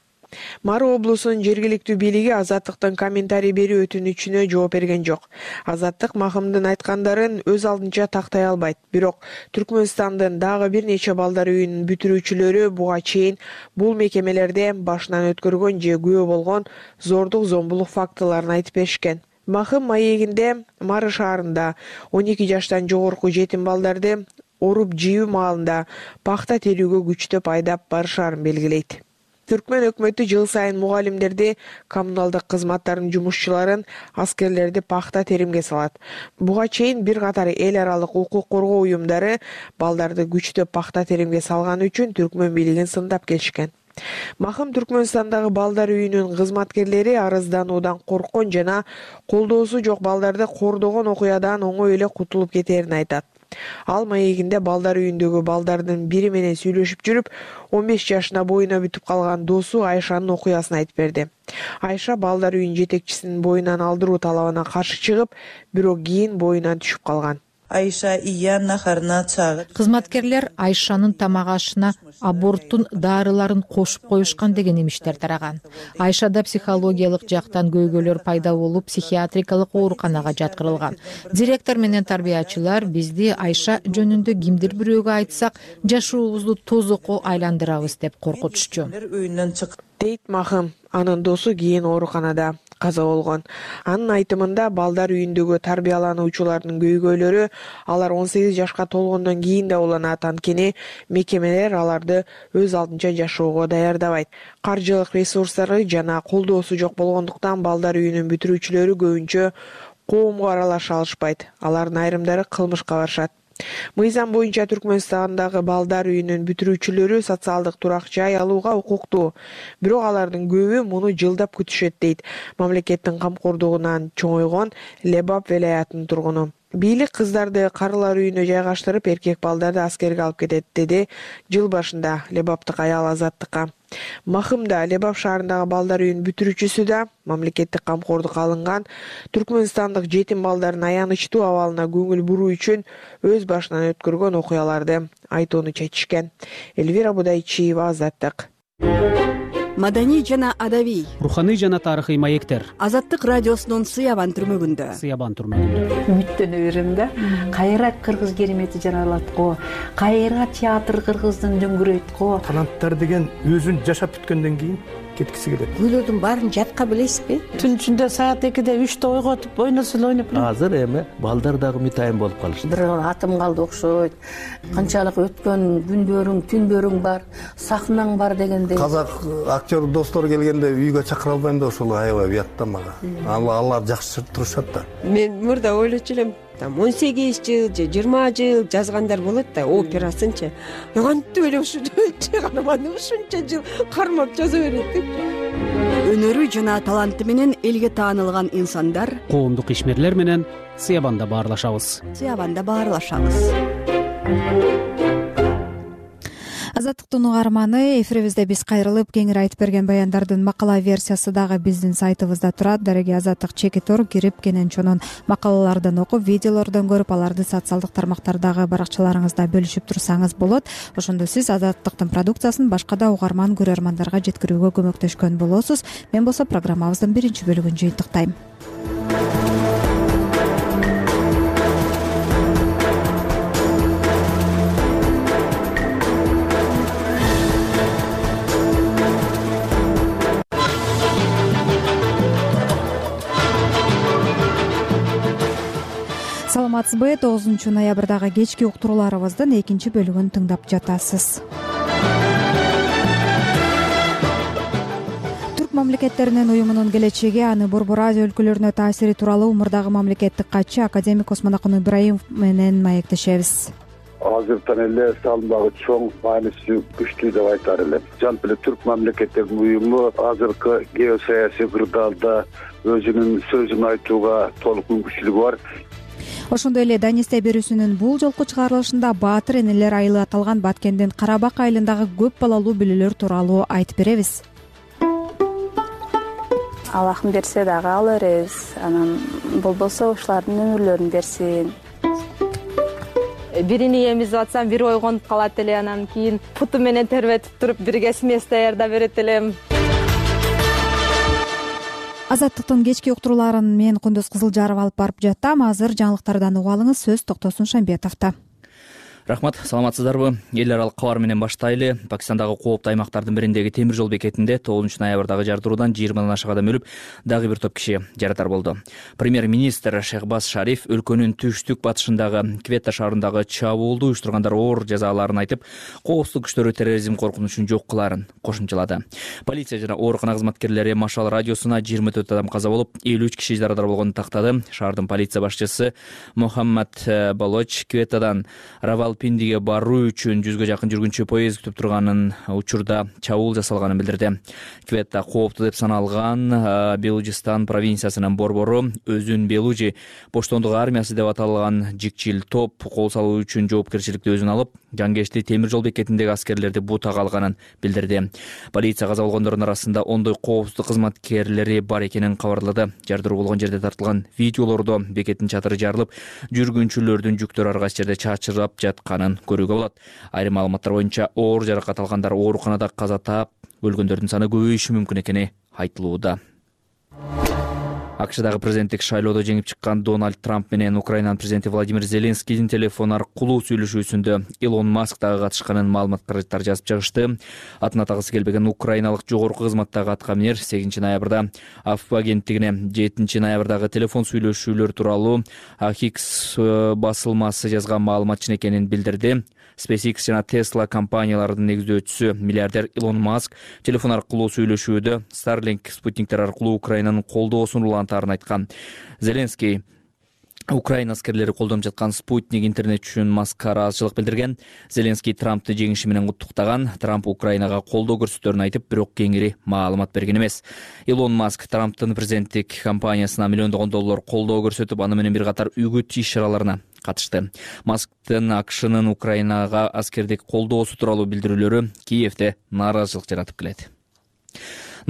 Мары облусунун жергиликтүү бийлиги Азаттыктын комментарий берүү өтүнүчүнө жооп берген жок. Азаттык Махымдын айткандарын өз алдынча тактай албайт. Бирок Түркмөнстандын дагы бир нече балдар үйүнүн бүтүрүүчүлөрү буга чейин бул мекемелерде башынан өткөргөн же күбө болгон зордук зомбулук фактыларын айтып беришкен. Махым маегинде Мары шаарында 12 жаштан жогорку жетим балдарды оруп жийүү маалында пахта терүүгө күчтөп айдап барышаарын белгилейт. Түркмөн өкмөтү жыл сайын мугалимдерди, коммуналдык кызматтардын жумушчуларын, аскерлерди пахта теримге салат. Буга чейин бир катар эл аралык укук коргоо уюмдары балдарды күчтөп пахта теримге салганы үчүн Түркмөн бийлигин сындап келишкен. Махым Түркмөнстандагы балдар үйүнүн кызматкерлери арыздануудан корккон жана колдоосу жок балдарды кордогон окуядан оңой эле кутулуп кетерин айтат. Ал маегинде балдар үйүндөгү балдардын бири менен сүйлөшүп жүрүп, 15 жашына боюна бүтүп калган досу Айшанын окуясын айтып берди. Айша балдар үйүнүн жетекчисинин боюнан алдыруу талабына каршы чыгып, бирок кийин боюнан түшүп калган. Кызматкерлер Айшанын тамак ашына аборттун дарыларын кошуп коюшкан деген имиштер тараган. Айшада психологиялык жактан көйгөйлөр пайда болуп, психиатрикалык ооруканага жаткырылган. Директор менен тарбиячылар бизди Айша жөнүндө кимдир бирөөгө айтсак, жашообузду тозокко айландырабыз деп коркутушчу, дейт Махым. Анын досу кийин ооруканада каза болгон. Анын айтымында балдар үйүндөгү тарбиялануучулардын көйгөйлөрү алар 18 жашка толгондон кийин да уланат, анткени мекемелер аларды өз алдынча жашоого даярдабайт. Каржылык ресурстары жана колдоосу жок болгондуктан балдар үйүнүн бүтүрүүчүлөрү көбүнчө коомго аралаша алышпайт. Алардын айрымдары кылмышка барышат. Мыйзам боюнча Түркмөнстандагы балдар үйүнүн бүтүрүүчүлөрү социалдык турак жай алууга укуктуу. Бирок алардын көбү муну жылдап күтүшөт, дейт мамлекеттин камкордугунан чоңойгон Лебап велаятынын тургуну. Бийлик кыздарды карылар үйүнө жайгаштырып, эркек балдарды аскерге алып кетет, деди жыл башында Лебаптык аял Азаттыкка. Махым да Лебап шаарындагы балдар үйүнүн бүтүрүүчүсү да мамлекеттик камкордукка алынган түркмөнстандык жетим балдардын аянычтуу абалына көңүл буруу үчүн өз башынан өткөргөн окуяларды айтууну чечишкен. Элвира Будайчиева, Азаттык. маданий жана адабий, руханий жана тарыхый маектер. Азаттык радиосунун Сыябан түрмөгүндө. Үмүттөнө берем да. Кайра кыргыз керемети жаралат го, кайра театр кыргыздын дөңгүрөйт го. Таланттар деген өзүн жашап бүткөндөн кийин кеткиси келет. Күйлөрдүн баарын жатка билесизби? Түн ичинде саат 2-де 3-те ойготуп ойносо эле ойноп. Азыр эми балдар дагы мытайын болуп калышты. Бир атым калды окшойт. Канчалык өткөн күндөрүң, түндөрүң бар, сахнаң бар дегендей. Казак актер достор келгенде үйгө чакыра албайм да ошол аябай уят да мага. Алар жакшы турушат да. Мен мурда ойлочу элем, 18 жыл же 20 жыл жазгандар болот да, операсынчы. Кантип эле ушунча чыгарманы ушунча жыл кармап жаза берет деп. Өнөрү жана таланты менен элге таанылган инсандар Коомдук ишмерлер менен Сыябанда баарлашабыз. Азаттыктын угарманы, эфирибизде биз кайрылып кеңири айтып берген баяндардын макала версиясы дагы биздин сайтыбызда турат. Дареги Азаттык чекитор кирип кенен чонун макалалардан окуп, видеолордон көрүп, аларды социалдык тармактардагы баракчаларыңызда бөлүшүп турсаңыз болот. Ошондо сиз Азаттыктын продукциясын башка да угарман көрөрмандарга жеткирүүгө көмөктөшкөн болосуз. Мен болсо программабыздын биринчи бөлүгүн жыйынтыктайм. Саламатсызбы? 9-ноябрдагы кечки уктурууларыбыздын экинчи бөлүгүн тыңдап жатасыз. Түрк мамлекеттеринин уюмунун келечеги, аны Борбор Азия өлкөлөрүнө таасири тууралуу мурдагы мамлекеттик катчы академик Осмонакун Ибраимов менен маектешебиз. Азыртан эле салымдагы чоң мааниси күчтүү деп айтар элем. Жалпы эле Түрк мамлекеттеринин уюму азыркы геосаясий кырдаалда өзүнүн сөзүн айтууга толук мүмкүнчүлүгү бар. Ошондой эле Данисте берүүсүнүн бул жолку чыгарылышында Баатыр энелер айылы аталган Баткендин Карабак айылындагы көп балалуу бүлөлөр тууралуу айтып беребиз. Аллахым берсе дагы ала беребиз. Анан болбосо ушулардын өмүрлөрүн берсин. Бирини эмизип атсам, бири ойгонуп калат эле, анан кийин путу менен тербетип туруп бирге смесь даярдап берет элем. Азаттыктын кечки уктурууларын мен Кундуз Кызылжаров алып барып жаттам. Азыр жаңылыктардан угуп алыңыз. Сөз Токтосун Шамбетовдо. Рахмат, саламатсыздарбы? Эл аралык кабар менен баштайлы. Пакистандагы кооптуу аймактардын бириндеги темир жол бекетинде 9-ноябрдагы жардыруудан 20 ашык адам өлүп, дагы бир топ киши жаракат болду. Премьер-министр Шехбаз Шариф өлкөнүн түштүк батышындагы Кветта шаарындагы чабуулду уюштургандар оор жазаларын айтып, коопсуздук күчтөрү терроризм коркунучун жок кылаарын кошумчалады. Полиция жана оорукана кызматкерлери Машал радиосуна 24 адам каза болуп, 53 киши жаракат болгонун тактады. Шаардын полиция башчысы Мухаммад Балоч Кветтадан Равалпиндиге баруу үчүн 100гө жакын жүргүнчү поезд күтүп турганын, учурда чабуул жасалганын билдирди. Кветта кооптуу деп саналган Белужистан провинциясынын борбору өзүн Белужи поштондук армиясы деп аталган жикчил топ кол салуу үчүн жоопкерчиликти өзүнө алып, Жангешти темир жол бекетиндеги аскерлерди бутага алганын билдирди. Полиция каза болгондордун арасында ондой коопсуздук кызматкерлери бар экенин кабарлады. Жардыруу болгон жерде тартылган видеолордо бекеттин чатыры жарылып, жүргүнчүлөрдүн жүктөрү ар кайсы жерде чачырап жатканын көрүүгө болот. Айрым маалыматтар боюнча оор жаракат алгандар ооруканада каза таап, өлгөндөрдүн саны көбөйүшү мүмкүн экени айтылууда. АКШдагы президенттик шайлоодо жеңип чыккан Дональд Трамп менен Украинанын президенти Владимир Зеленскийдин телефон аркылуу сүйлөшүүсүндө Илон Маск дагы катышканын маалыматтар жазып чыгышты. Атын атагысы келбеген украиналык жогорку кызматтагы аткаминер 8 ноябрда АФП агенттигине 7 ноябрдагы телефон сүйлөшүүлөр тууралуу Хикс басылмасы жазган маалыматчын экенин билдирди. SpaceX жана Tesla компанияларынын негиздөөчүсү миллиардер Илон Маск телефон аркылуу сүйлөшүүдө Starlink спутниктер аркылуу Украинанын колдоосун улантаарын айткан. Зеленский Украина аскерлери колдонуп жаткан спутник интернет үчүн Маскка ыраазычылык билдирген. Зеленский Трампты жеңиши менен куттуктаган. Трамп Украинага колдоо көрсөтөөрүн айтып, бирок кеңири маалымат берген эмес. Илон Маск Трамптын президенттик кампаниясына миллиондогон доллар колдоо көрсөтүп, аны менен бир катар үгүт иш-чараларына катышты. Масктын АКШнын Украинага аскердик колдоосу тууралуу билдирүүлөрү Киевде нааразычылык жаратып келет.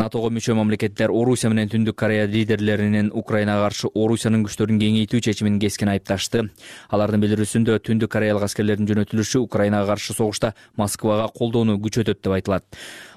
НАТОго мүчө мамлекеттер Орусия менен Түндүк Корея лидерлеринин Украинага каршы Орусиянын күчтөрүн кеңейтүү чечимин кескен айыпташты. Алардын билдирүүсүндө Түндүк Кореялык аскерлердин жөнөтүлүшү Украинага каршы согушта Москвага колдоону күчөтөт деп айтылат.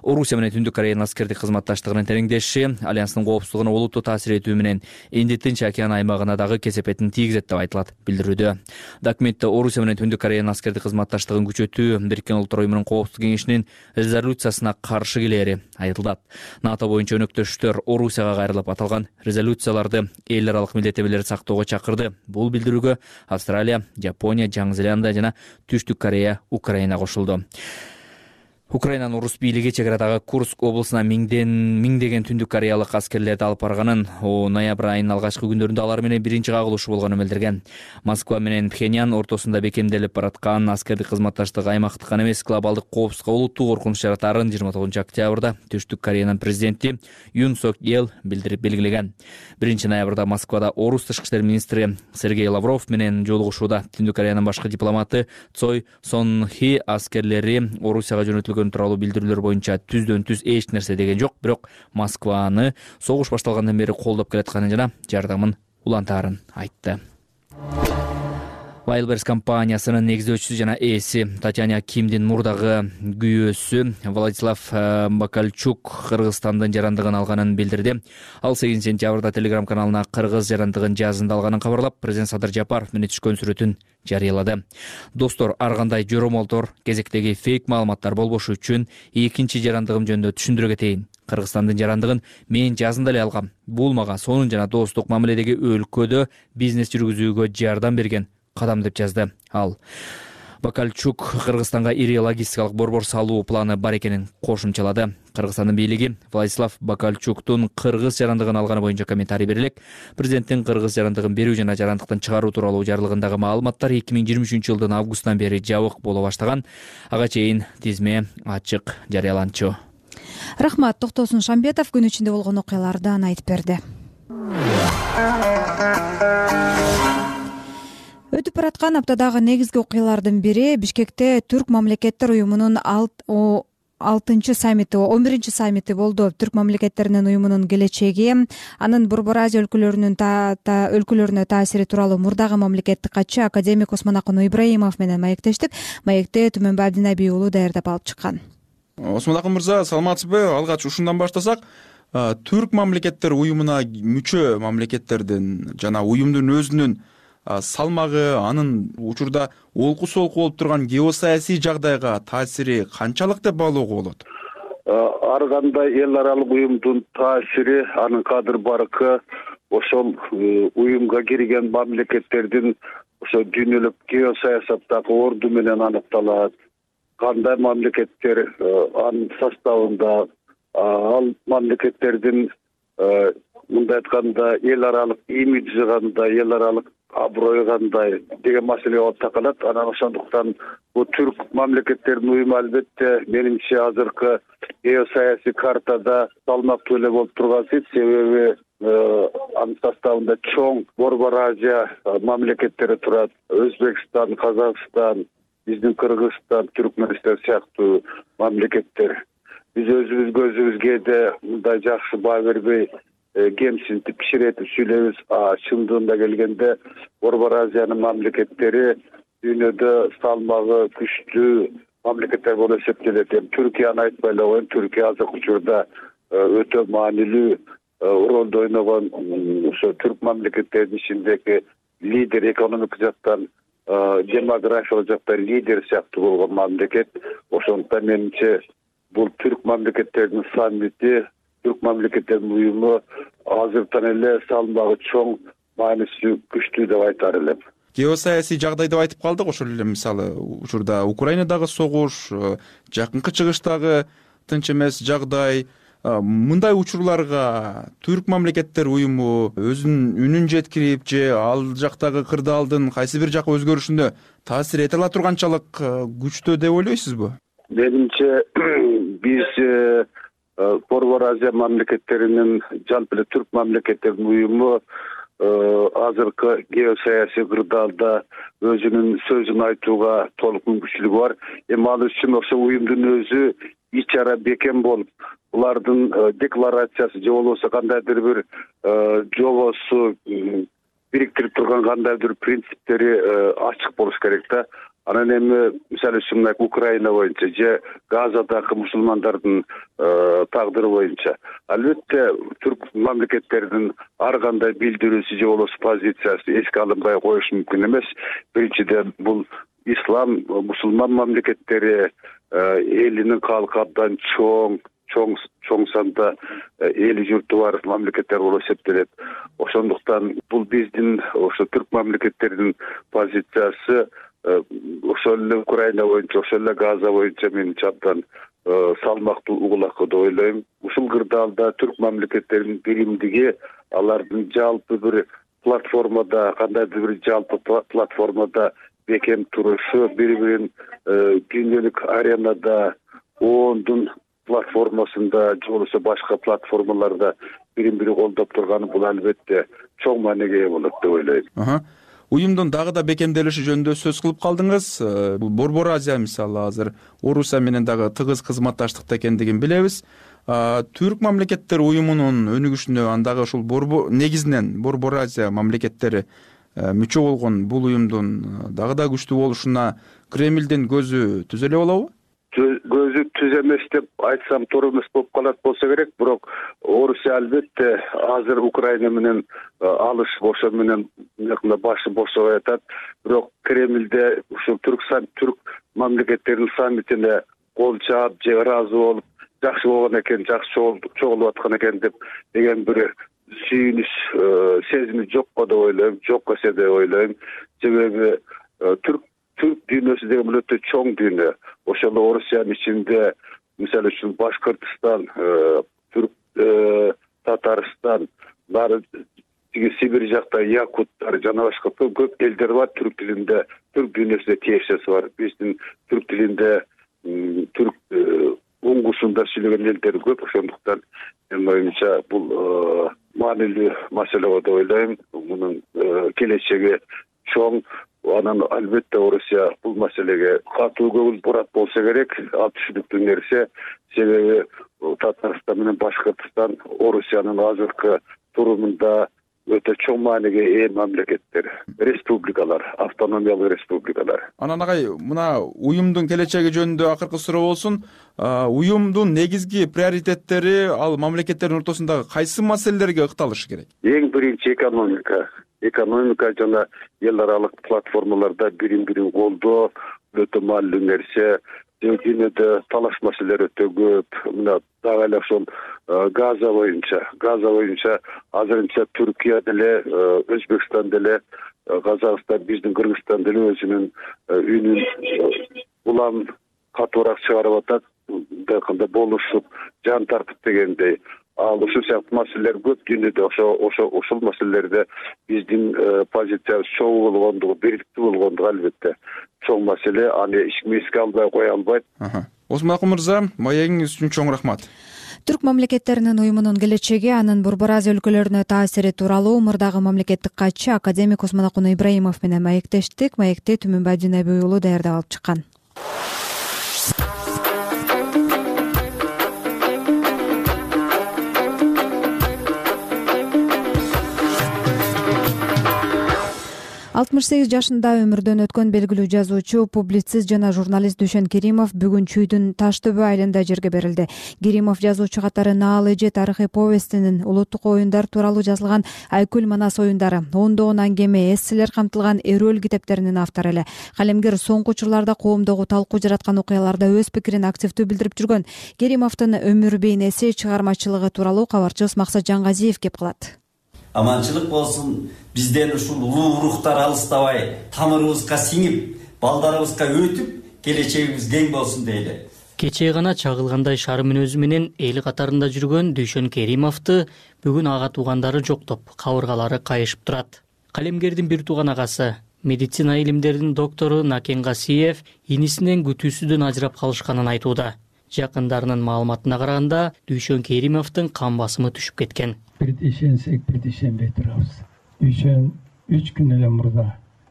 Орусия менен Түндүк Кореянын аскердик кызматташтыгынын тереңдеши алянстын коопсуздугуна олуттуу таасир этүү менен Инд Тынч океан аймагына дагы кесепетин тийгизет деп айтылат билдирүүдө. Документте Орусия менен Түндүк Кореянын аскердик кызматташтыгын күчөтүү Бириккен Улуттар Уюмунун Коопсуздук кеңешинин резолюциясына каршы келери айтылат. НАТО боюнча өнөктөштөр Орусияга кайрылып аталган резолюцияларды эл аралык милдеттенмелерди сактоого чакырды. Бул билдирүүгө Австралия, Жапония, Жаңы Зеландия жана Түштүк Корея, Украина кошулду. Украинанын орус бийлиги чек арадагы Курск облусуна миңдеген Түндүк Кореялык аскерлерди алып барганын, ноябрь айынын алгачкы күндөрүндө алар менен биринчи кагылышы болгонун билдирген. Москва менен Пхеньян ортосунда бекемделип бараткан аскердик кызматташтык аймактык гана эмес, глобалдык коопсуздукка олуттуу коркунуч жаратаарын 29 октябрда Түштүк Кореянын президенти Юн Сок Йел билдирип белгилеген. 1 ноябрда Москвада орус тышкы иштер министри Сергей Лавров менен жолугушууда Түндүк Кореянын башкы дипломаты Цой Сон Хи аскерлери Орусияга жөнөтүлгөн тууралуу билдирүүлөр боюнча түздөн түз эч нерсе деген жок, бирок Москваны согуш башталгандан бери колдоп келатканын жана жардамын улантаарын айтты. Wildberries компаниясынын негиздөөчүсү жана ээси Татьяна Кимдин мурдагы күйөөсү Владислав Бакальчук Кыргызстандын жарандыгын алганын билдирди. Ал 8 сентябрда Telegram каналына кыргыз жарандыгын жазында алганын кабарлап, президент Садыр Жапаров менен түшкөн сүрөтүн жарыялады. Достор, ар кандай жоромолдор, кезектеги фейк маалыматтар болбошу үчүн экинчи жарандыгым жөнүндө түшүндүрө кетейин. Кыргызстандын жарандыгын мен жазында эле алгам. Бул мага сонун жана достук мамиледеги өлкөдө бизнес жүргүзүүгө жардам берген кадам деп жазды ал. Бакальчук Кыргызстанга ири логистикалык борбор салуу планы бар экенин кошумчалады. Кыргызстандын бийлиги Владислав Бакальчуктун кыргыз жарандыгын алганы боюнча комментарий берилек. Президенттин кыргыз жарандыгын берүү жана жарандыктан чыгаруу тууралуу жарлыгындагы маалыматтар 2023 жылдын августунан бери жабык боло баштаган. Ага чейин тизме ачык жарыяланчу. Рахмат, Токтосун Шамбетов күн ичинде болгон окуялардан айтып берди. Өтүп бараткан аптадагы негизги окуялардын бири Бишкекте Түрк мамлекеттер уюмунун 11 саммити болду. Түрк мамлекеттеринин уюмунун келечеги, анын Борбор Азия өлкөлөрүнө таасири тууралуу мурдагы мамлекеттик катчы академик Осмонакын Ибраимов менен маектештик. Маекти Түмөнбай Абдинабий уулу даярдап алып чыккан. Осмонакын мырза, саламатсызбы? Алгач ушундан баштасак, Түрк мамлекеттер уюмуна мүчө мамлекеттердин жана уюмдун өзүнүн салмагы, анын учурда олку солку болуп турган геосаясий жагдайга таасири канчалык деп баалоого болот? Ар кандай эл аралык уюмдун таасири, анын кадыр баркы ошол уюмга кирген мамлекеттердин ошо дүйнөлүк геосаясаттагы орду менен аныкталат. Кандай мамлекеттер анын составында, ал мамлекеттердин мындай айтканда эл аралык имиджи кандай, эл аралык аброю кандай деген маселе болуп такалат. Анан ошондуктан бул түрк мамлекеттердин уюму албетте менимче азыркы геосаясий картада салмактуу эле болуп турган сейт. Себеби анын составында чоң Борбор Азия мамлекеттери турат. Өзбекстан, Казакстан, биздин Кыргызстан, Түркмөнстан сыяктуу мамлекеттер. Биз өзүбүзгө да мындай жакшы баа бербей кемсинтип кичиретип сүйлөйбүз. Чындыгында келгенде Борбор Азиянын мамлекеттери дүйнөдө салмагы күчтүү мамлекеттер болуп эсептелет. Түркияны айтпай эле коеюн. Түркия азыркы учурда өтө маанилүү ролду ойногон ошо түрк мамлекеттеринин ичиндеги лидер, экономик жактан, демографиялык жактан лидер сыяктуу болгон мамлекет. Ошондуктан менимче бул түрк мамлекеттеринин саммити, түрк мамлекеттеринин уюму азыртан эле салмагы чоң, мааниси күчтүү деп айтар элем. Геосаясий жагдай деп айтып калдык. Ошол эле мисалы учурда Украинадагы согуш, жакынкы чыгыштагы тынч эмес жагдай, мындай учурларга түрк мамлекеттер уюму өзүнүн үнүн жеткирип же ал жактагы кырдаалдын кайсы бир жакка өзгөрүшүнө таасир эте ала турганчалык күчтүү деп ойлойсузбу? Менимче биз Борбор Азия мамлекеттеринин, жалпы эле түрк мамлекеттеринин уюму азыркы геосаясий кырдаалда өзүнүн сөзүн айтууга толук мүмкүнчүлүгү бар. Ал үчүн ошо уюмдун өзү ич чара бекем болуп, булардын декларациясы же болбосо кандайдыр бир жобосу бириктирип турган кандайдыр принциптери ачык болуш керек да. Анан эми мисалы үчүн Украина боюнча же Газадагы мусулмандардын тагдыры боюнча албетте түрк мамлекеттеринин ар кандай билдирүүсү же болбосо позициясы эске алынбай коюш мүмкүн эмес. Биринчиден бул ислам мусулман мамлекеттери элинин калкы абдан чоң санда эли журту бар мамлекеттер болуп эсептелет. Ошондуктан бул биздин ошо түрк мамлекеттеринин позициясы ошол эле Украина боюнча, ошол эле Газа боюнча менимче абдан салмактуу угулак деп ойлойм. Ушул кырдаалда түрк мамлекеттеринин биримдиги, алардын жалпы бир платформада, кандайдыр бир жалпы платформада бекем турушу, бири-бирин дүйнөлүк аренада, ООНдун платформасында же болбосо башка платформаларда бирин-бири колдоп турганы бул албетте чоң мааниге ээ болот деп ойлойм. Уюмдун дагы да бекемделиши жөнүндө сөз кылып калдыңыз. Борбор Азия мисалы азыр Орусия менен дагы тыгыз кызматташтыкта экендигин билебиз. Түрк мамлекеттер уюмунун өнүгүшүнө андагы ушул негизинен Борбор Азия мамлекеттери мүчө болгон бул уюмдун дагы да күчтүү болушуна Кремлдин көзү түз эле болобу? Көзү түз эмес деп айтсам туура эмес болуп калат болсо керек, бирок Орусия албетте азыр Украина менен алышып ошо менен башы бошобой атат. Бирок Кремлде ушул түрк мамлекеттеринин саммитине кол чаап же ыраазы болуп, жакшы болгон экен, жакшы чогулуп аткан экен деген бир сүйүнүч сезими жокко деп ойлойм, жок эсе деп ойлойм. Себеби түрк дүйнөсү деген бул өтө чоң дүйнө. Ошол Орусиянын ичинде мисалы үчүн Башкортостан, Татарстан, баары Сибирь жакта якуттар жана башка көп элдер бар түрк тилинде, түрк дүйнөсүндө тиешеси бар. Биздин түрк тилинде түрк уңгусунда сүйлөгөн элдер көп, ошондуктан менин оюмча бул маанилүү маселе деп ойлойм. Мунун келечеги чоң. Анан албетте Орусия бул маселеге катуу көңүл бурат болсо керек, ал түшүнүктүү нерсе. Себеби Татарстан менен Башкортостан Орусиянын азыркы турумунда өтө чоң мааниге ээ мамлекеттер, республикалар, автономиялык республикалар. Анан агай, мына уюмдун келечеги жөнүндө акыркы суроо болсун. Уюмдун негизги приоритеттери ал мамлекеттердин ортосундагы кайсы маселелерге ыкталышы керек? Эң биринчи экономика жана эл аралык платформаларда бирин-бирин колдоо өтө маанилүү нерсе. Дүйнөдө талаш маселелер өтө көп. Мына дагы эле ошол Газа боюнча азырынча Түркия деле, Өзбекстан деле, Казакстан, биздин Кыргызстан деле өзүнүн үнүн улам катуураак чыгарып атат. Кандай болушуп, жан тартып дегендей. Ал ушул сыяктуу маселелер көп дүйнөдө. Ошол маселелерде биздин позициябыз чоң болгондугу, бириктүү болгондугу албетте чоң маселе. Аны эч ким эске албай кое албайт. Осмонакул мырза, маегиңиз үчүн чоң рахмат. Түрк мамлекеттеринин уюмунун келечеги, анын Борбор Азия өлкөлөрүнө таасири тууралуу мурдагы мамлекеттик катчы академик Осмонакул Ибраимов менен маектештик. Маекти Түмөнбай Дүйнөбүй уулу даярдап алып чыккан. Алтымыш 68 жашында өмүрдөн өткөн белгилүү жазуучу, публицист жана журналист Дүйшөн Керимов бүгүн Чүйдүн Таштөбө айылында жерге берилди. Керимов жазуучу катары Наал эже тарыхый повестинин, улуттук оюндар тууралуу жазылган Айкүл Манас оюндары, ондогон аңгеме, эсселер камтылган Эрөл китептеринин автору эле. Калемгер соңку учурларда коомдогу талкуу жараткан окуяларда өз пикирин активдүү билдирип жүргөн. Керимовдун өмүр бейнеси, чыгармачылыгы тууралуу кабарчыбыз Максат Жангазиев кеп кылат. Аманчылык болсун, бизден ушул улуу рухтар алыстабай, тамырыбызга сиңип, балдарыбызга өтүп, келечегибиз кең болсун дейли. Кечээ гана чагылгандай шармын өзү менен эл катарында жүргөн Дүйшөн Керимовду бүгүн ага туугандары жоктоп, кабыргалары кайышып турат. Калемгердин бир тууган агасы, медицина илимдеринин доктору Накен Гасиев инисинен күтүүсүдөн ажырап калышканын айтууда. Жакындарынын маалыматына караганда, Дүйшөн Керимовдун кан басымы түшүп кеткен. Бир ишенсек, бир ишенбей турабыз. Дүйшөн 3 күн эле мурда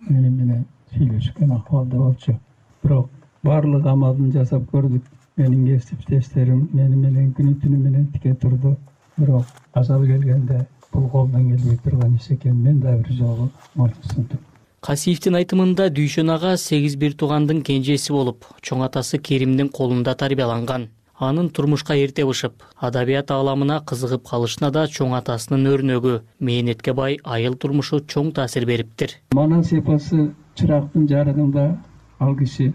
менен сүйлөшкөн акыбалда болчу. Бирок баардык амалын жасап көрдүк. менин кесиптештерим мени менен күнү түнү менен тике турду. Бирок ажал келгенде бул колдон келбей турган иш экен. Мен да бир жолу моюнсундум. Касиевдин айтымында Дүйшөн ага 8 бир туугандын кенжеси болуп, чоң атасы Керимдин колунда тарбияланган. Анын турмушка эрте бышып, адабият ааламына кызыгып калышына да чоң атасынын өрнөгү, мээнетке бай айыл турмушу чоң таасир бериптир. Манас эпосы чырактын жарыгында ал киши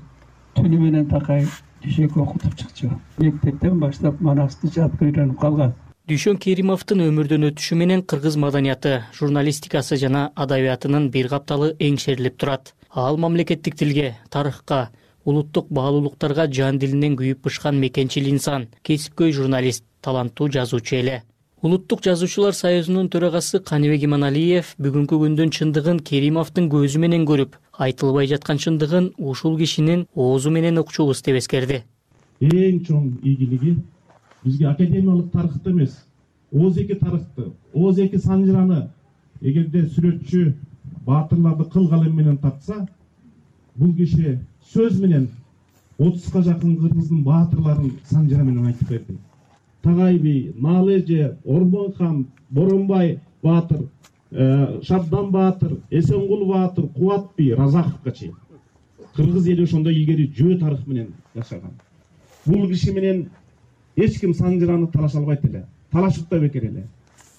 түнү менен такай түшөк окутуп чыкчу. Мектептен баштап манасты жатка үйрөнүп калган. Дүйшөн Керимовдун өмүрдөн өтүшү менен кыргыз маданияты, журналистикасы жана адабиятынын бир капталы эңшерилип турат. Ал мамлекеттик тилге, тарыхка, улуттук баалуулуктарга жан дилинен күйүп бышкан мекенчил инсан, кесипкөй журналист, таланттуу жазуучу эле. Улуттук жазуучулар союзунун төрагасы Каныбек Иманалиев бүгүнкү күндүн чындыгын Керимовдун көзү менен көрүп, айтылбай жаткан чындыгын ушул кишинин оозу менен укчубуз деп эскерди. Эң чоң ийгилиги бизге академиялык тарыхты эмес, ооз-эки тарыхты, ооз-эки санжыраны эгерде сүрөтчү баатырларды кыл калем менен тартса, бул киши сөз менен 30га жакын кыргыздын баатырларын санжыра менен айтып берди. Tagay Bey, Naleje, Orban Хан, Боронбай Батыр, Шабдан Батыр, Эсенгул Батыр, Кубат Бей, Разаховго чейин. Кыргыз эли ошондой илгери жөө тарых менен жашаган. Бул киши менен эч ким санжыраны талаша албайт эле. Талашып да бекер эле.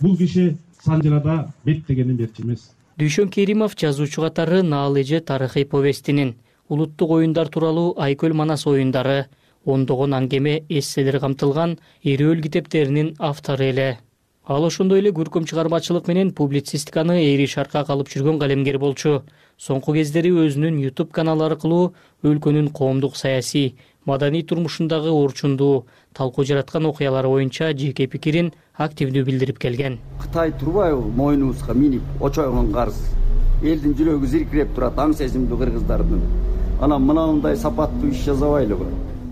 Бул киши санжырада беттегенин берчү эмес. Дүйшөн Керимов жазуучу катары Наалеже тарыхый повестинин, улуттук оюндар тууралуу Айкөл Манас оюндары, ондогон аңгеме эсселер камтылган Эрөөл китептеринин автору эле. Ал ошондой эле көркөм чыгармачылык менен публицистиканы эри шаркка алып жүргөн калемгер болчу. Соңку кездери өзүнүн YouTube каналы аркылуу өлкөнүн коомдук саясий, маданий турмушундагы орчундуу, талкуу жараткан окуялары боюнча жеке пикирин активдүү билдирип келген. Кытай турбайбы мойнубузга минип очойгон карыз. Элдин жүрөгү зиркиреп турат, аң сезимдүү кыргыздардын. Анан мынандай сапаттуу иш жазабайлыбы?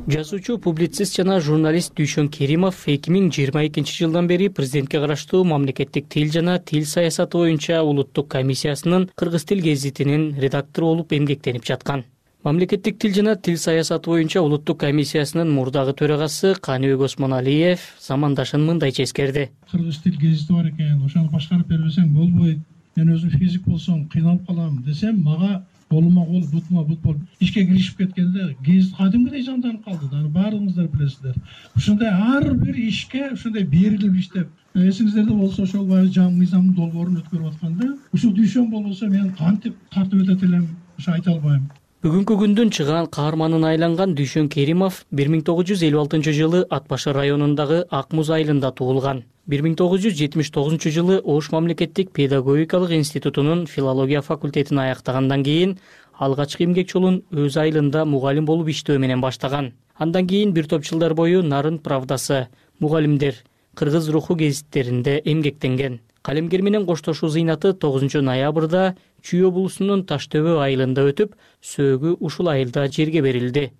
Жазуучу, публицист жана журналист Дүйшөн Керимов 2022 жылдан бери президентке караштуу мамлекеттик тил жана тил саясаты боюнча улуттук комиссиясынын кыргыз тил гезитинин редактору болуп эмгектенип жаткан. Мамлекеттик тил жана тил саясаты боюнча улуттук комиссиясынын мурдагы төрагасы Каныбек Осмоналиев замандашын мындайча эскерди. Кыргыз тил гезити бар экен, ошону башкарып бербесең болбойт. Мен өзүм физик болсом кыйналып калам десем, мага колума кол, бутума бут болуп ишке киришип кеткенде гезит кадимгидей жанданып калды. Аны баарыңыздар билесиздер. Ушундай ар бир ишке ушундай берилип иштеп, эсиңиздерде болсо ошол баягы жаңы мыйзамдын долбоорун өткөрүп атканда, ушул Дүйшөн болбосо мен кантип тартып өтөт элем, ошо айта албайм. Бүгүнкү күндүн чыгаан каарманына айланган Дүйшөн Керимов 1956 жылы Ат башы районундагы Ак Муз айылында туулган. 1979 жылы Ош мамлекеттик педагогикалык институтунун филология факультетин аяктагандан кийин алгачкы эмгек жолун өз айылында мугалим болуп иштөө менен баштаган. Андан кийин бир топ жылдар бою Нарын правдасы, Мугалимдер, Кыргыз руху гезиттеринде эмгектенген. Калемгер менен коштошуу зыйнаты 9 ноябрда Чүй облусунун Таштөбө айылында өтүп, сөөгү ушул айылда жерге берилди.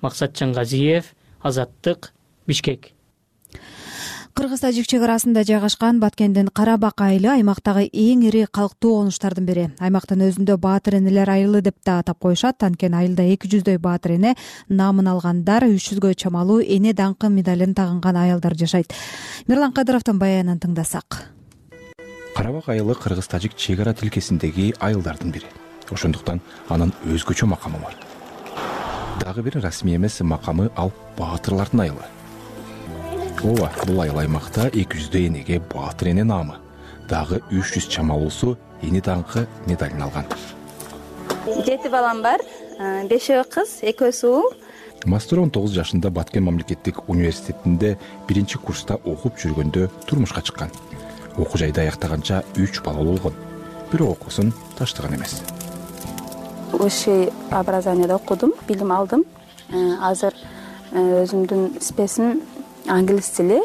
Максат Чаңгазиев, Азаттык, Бишкек. Кыргыз-тажик чек арасында жайгашкан Баткендин Карабак айылы аймактагы эң ири калктуу конуштардын бири. Аймактын өзүндө баатыр энелер айылы деп да атап коюшат. Анткени айылда 200дөй баатыр эне, намын алгандар, 300гө чамалуу эне даңкы медалин тагынган аялдар жашайт. Мирлан Кадыровдун баянын тыңдасак. Карабак айылы кыргыз-тажик чек ара тилкесиндеги айылдардын бири. Ошондуктан анын өзгөчө макамы бар. Дагы бир расмий эмес макамы ал баатырлардын айылы. Ооба, бул айыл аймакта 200дөй энеге баатыр эне наамы, дагы 300 чамалуусу эне даңкы медалин алган. 7 балам бар, 5 кыз, 2 уул. Мастер 19 жашында Баткен мамлекеттик университетинде 1-курста окуп жүргөндө турмушка чыккан. Окуу жайды аяктаганча 3 бала болгон. Бирок окуусун таштаган эмес. Высшее образованияда окудум, билим алдым. Азыр өзүмдүн спесим англис тили.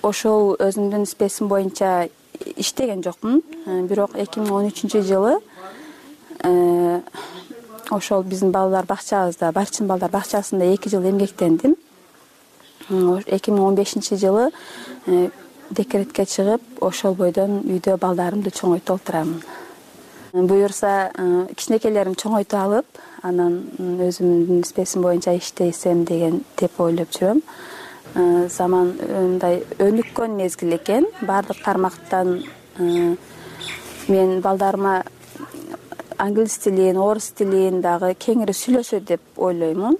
Ошол өзүмдүн спесим боюнча иштеген жокмун. Бирок 2013 жылы ошол биздин балдар бакчабызда, Барчин балдар бакчасында 2 жыл эмгектендим. 2015 жылы декретке чыгып, ошол бойдон үйдө балдарымды чоңойтуп отурамын. буюрса кичинекейлерим чоңойтуп алып, анан өзүмдүн спесим боюнча иштесем деп ойлоп жүрөм. Заман мындай өнүккөн мезгил экен. Баардык тармактан мен балдарыма англис тилин, орус тилин дагы кеңири сүйлөсө деп ойлоймун.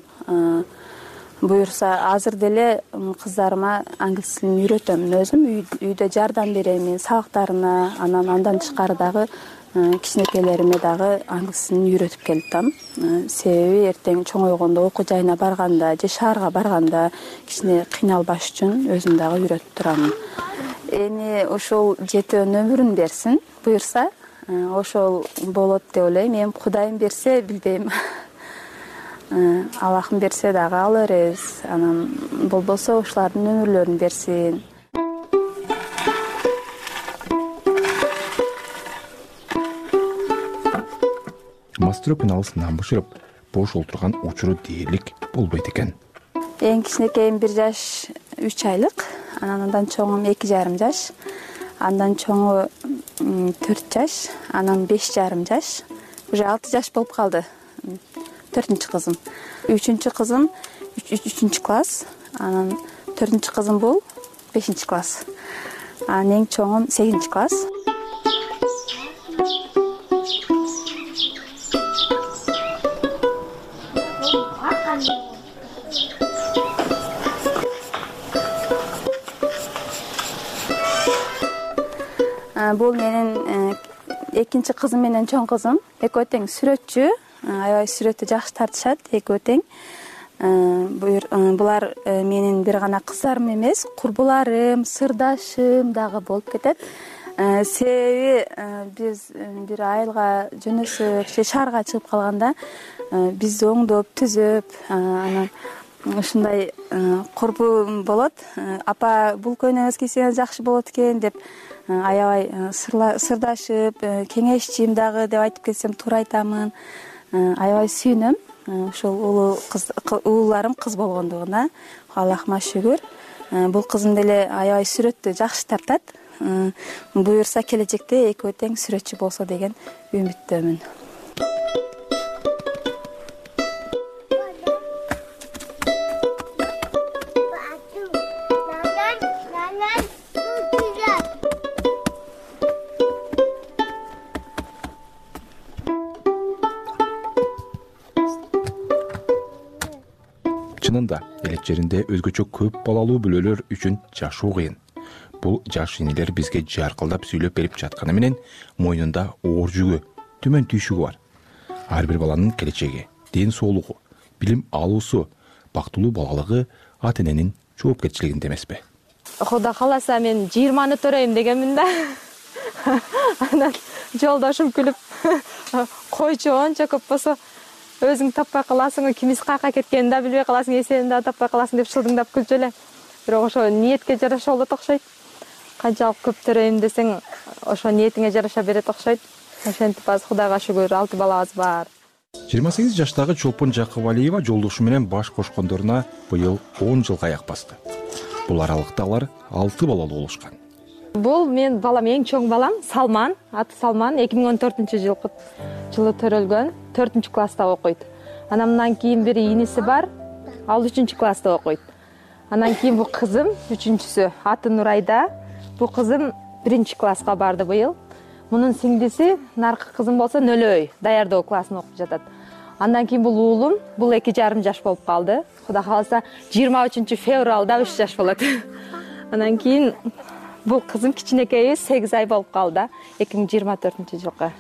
Буюрса азыр деле кыздарыма англис тилин үйрөтөм. Өзүм үйдө жардам берем, мен сабактарына, андан тышкары дагы кичинекейлериме дагы англис тилин үйрөтүп келатам. Себеби эртең чоңойгондо окуу жайына барганда же шаарга барганда кичине кыйналбаш үчүн өзүм дагы үйрөтүп турамын. Эми ошол жетүүнүн өмүрүн берсин, буюрса ошол болот деп ойлойм. Эми Кудайым берсе билбейм. Аллахым берсе дагы ала беребиз. Анан болбосо ушулардын өмүрлөрүн берсин. Мастырып алыс нан бышырып, бош олтурган учуру дээрлик болбойт экен. Эң кичинекейим 1 жаш 3 айлык, андан чоңум 2,5 жаш, андан чоңу 4 жаш, анан 5,5 жаш, уже 6 жаш болуп калды. 4-чү кызым. 3-чү кызым 3 класс, анан 4-чү кызым бул 5 класс. Анан эң чоңум 8 класс. Бул менин экинчи кызым менен чоң кызым. Экөө тең сүрөтчү, аябай сүрөттү жакшы тартышат, экөө тең. Булар менин бир гана кыздарым эмес, курбуларым, сырдашым дагы болуп кетет. Себеби биз бир айылга жөнөсөк же шаарга чыгып калганда бизди оңдоп, түзөп, анан ушундай курбум болот. Апа, бул көйнөңүз кийсеңиз жакшы болот экен деп аябай сырдашып, кеңешчим дагы деп айтып кетсем туура айтамын. Аябай сүйүнөм ушул ууларым кыз болгондугуна. Аллахыма шүгүр. Бул кызым деле аябай сүрөттү жакшы тартат. Буюрса келечекте экөө тең сүрөтчү болсо деген үмүттөмүн. Чынында элек жеринде өзгөчө көп балалуу бүлөлөр үчүн жашоо кыйын. Бул жаш инелер бизге жаркылдап сүйлөп берип жатканы менен мойнунда оор жүгү, төмөн түйшүгү бар. Ар бир баланын келечеги, ден соолугу, билим алуусу, бактылуу балалыгы ата эненин жоопкерчилигинде эмеспи? Кудай кааласа мен 20-ны төрөйм дегенмин да. Анан жолдошум күлүп, койчу ончо көп болсо өзүң таппай каласың, кимиз каяка кеткенин да билбей каласың, эсебин да таппай каласың деп шылдыңдап күлчү эле. Бирок ошо ниетке жараша болот окшойт. Канчалык көп төрөйм десең, ошо ниетиңе жараша берет окшойт. Ошентип азыр Кудайга шүгүр 6 балабыз бар. 28 жаштагы Чолпон Жакыбалиева жолдошу менен баш кошкондоруна быйыл 10 жылга аяк басты. Бул аралыкта алар 6 балалуу болушкан. Бул мен балам, эң чоң балам Салман, аты Салман, 2014-жылы төрөлгөн, 4 класста окуйт. Андан кийин бир иниси бар, ал 3 класста окуйт. Андан кийин бул кызым 3-сү, аты Нурайда. Бул кызым 1 класска барды быйыл. Мунун сиңдиси, наркы кызым болсо Нөлөй, даярдоо классына окуп жатат. Андан кийин бул уулум, бул 2,5 жаш болуп калды. Кудай кааласа 23 февралда 3 жаш болот. Андан кийин бул кызым кичинекейбиз 8 ай болуп калды, 2024-жылга.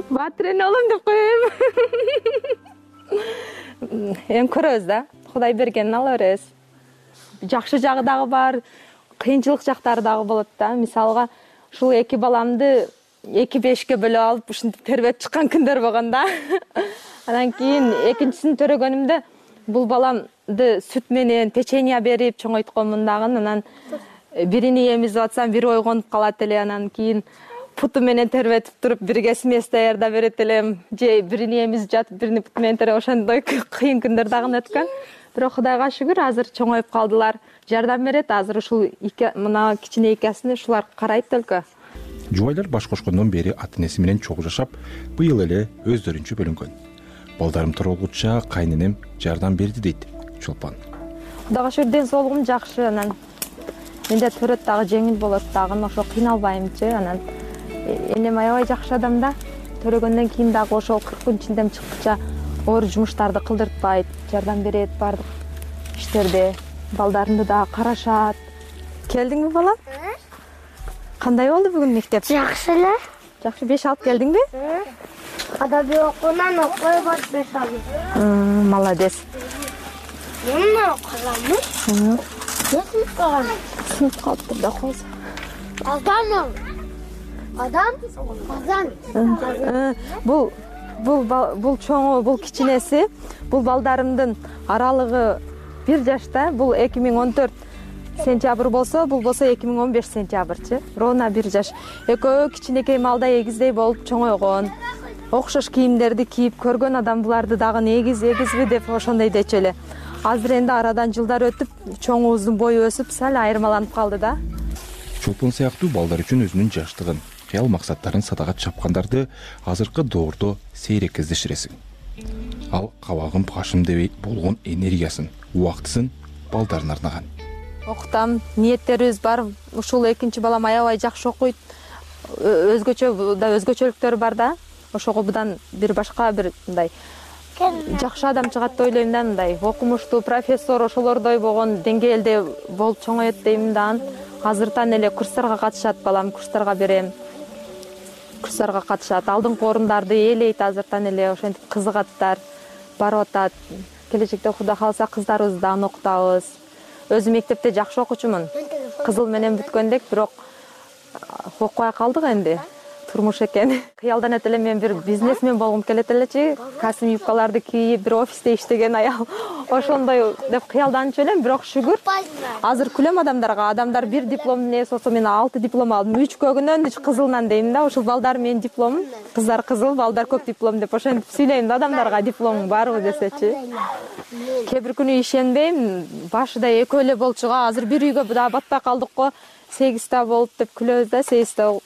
Батырен алым деп коем. Эми көрөбүз да, Кудай бергенин ала беребиз. Жакшы жагы дагы бар, кыйынчылык жактары дагы болот да. Мисалга, ушул 2 баламды 2-5ке бөлүп алып, ушинтип тербетип чыккан күндөр болгон да. Андан кийин экинчисин төрөгөнүмдө бул баламды сүт менен печенье берип чоңойтконмун дагы. Анан бирини эмизип атсам, бири ойгонуп калат эле. Анан кийин путу менен тербетип туруп, бирге смесь даярдап берет элем. Же бирини эмизип жатып, бирини путу менен тербеп, ошондой кыйын күндөр дагы өткөн. Бирок Кудайга шүгүр, азыр чоңоюп калдылар. Жардам берет. Азыр ушул мына кичине экесин ушулар карайт өлкө. Жубайлар баш кошкондон бери ата энеси менен чогуу жашап, быйыл эле өздөрүнчө бөлүнгөн. Балдарым тургуча кайненем жардам берди дейт Чолпон. Кудайга шүгүр ден соолугум жакшы, анан менде төрөт дагы жеңил болот дагы, ошо кыйналбаймчы. Анан энем аябай жакшы адам да. Төрөгөндөн кийин дагы ошол 40 күн ичинде чыккыча оор жумуштарды кылдыртпайт, жардам берет баардык иштерде. Балдарымды дагы карашат. Келдиңби балам? Кандай болду бүгүн мектеп? Жакшы эле. Жакшы, 5 алып келдиңби? Адаби окуунан окуй бат 5 алып. Молодец. Эмне окуйсың? Сынып калыптыр да козу. Азан. Бул чоңу, бул кичинеси, бул балдарымдын аралыгы 1 жашта. Бул 2014 сентябрь болсо, бул болсо 2015 сентябрчы. Ровно 1 жаш. Экөө кичинекей малда эгиздей болуп чоңойгон. Окшош кийимдерди кийип көргөн адам буларды дагы эгизби деп ошондой дечү эле. Азыр энди арадан жылдар өтүп, чоңубуздун бою өсүп, сал айырмаланып калды да. Чолпон сыяктуу балдар үчүн өзүнүн жаштыгын, кыял максаттарын садага чапкандарды азыркы доордо сейрек кездештиресиң. Ал кабагын башым дебей болгон энергиясын, убактысын балдарына арнаган. Окутам, ниеттерибиз бар. Ушул экинчи балам аябай жакшы окуйт. Өзгөчөлүктөрү бар да. Ошого будан бир башка бир мындай жакшы адам чыгат деп ойлойм да, мындай окумуштуу профессор ошолордой болгон деңгээлде болуп чоңоет дейм да. Азыртан эле курстарга катышат балам, курстарга берем. Курстарга катышат, алдыңкы орундарды ээлейт азыртан эле, ошентип кызыгаттар, барып атат. Келечекте Кудай кааласа кыздарыбызды дагы окутабыз. Өзүм мектепте жакшы окуучумун. Кызыл менен бүткөндек, бирок окубай калдык энди. Турмуш экен. Кыялданат эле мен бир бизнесмен болгум келет элечи. Касым юбкаларды кийип, бир офисте иштеген аял. Ошондой деп кыялданчу элем, бирок шүгүр. Азыр күлөм адамдарга. Адамдар бир дипломдун ээси болсо, мен 6 диплом алдым. 3 көгүнөн кызылынан дейм да. Ушул балдар менин дипломум. Кыздар кызыл, балдар көк диплом деп ошентип сүйлөйм да адамдарга, дипломуң барбы десечи. Кээ бир күнү ишенбейм. Башыда экөө эле болчуга, азыр бир үйгө дагы батпай калдык го. 8 болуп деп күлөбүз да, 8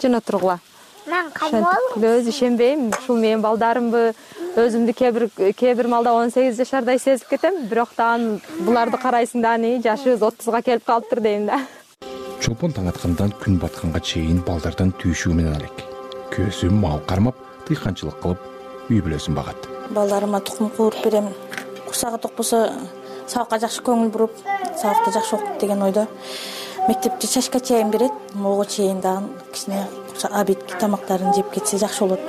жөн отургула. Мен кайбол. Күлөбүз, ишенбейм. Ушул менин балдарымбы, өзүмдү кээ бир малда 18 жашардай сезип кетем, бирок дагы буларды карайсың да, жашыбыз 30га келип калыптыр дейм да. Чолпон таң аткандан күн батканга чейин балдардан түйшүү менен алек. Көзү мал кармап, тыйканчылык кылып, үй бүлөсүн багат. Балдарыма тукум кууруп берем. Курсагы токпосо сабакка жакшы көңүл буруп, сабакта жакшы окуп деген ойдо. Мектепте чачка чайын берет, могу чейин дагы кичине обедки тамактарын жеп кетсе жакшы болот.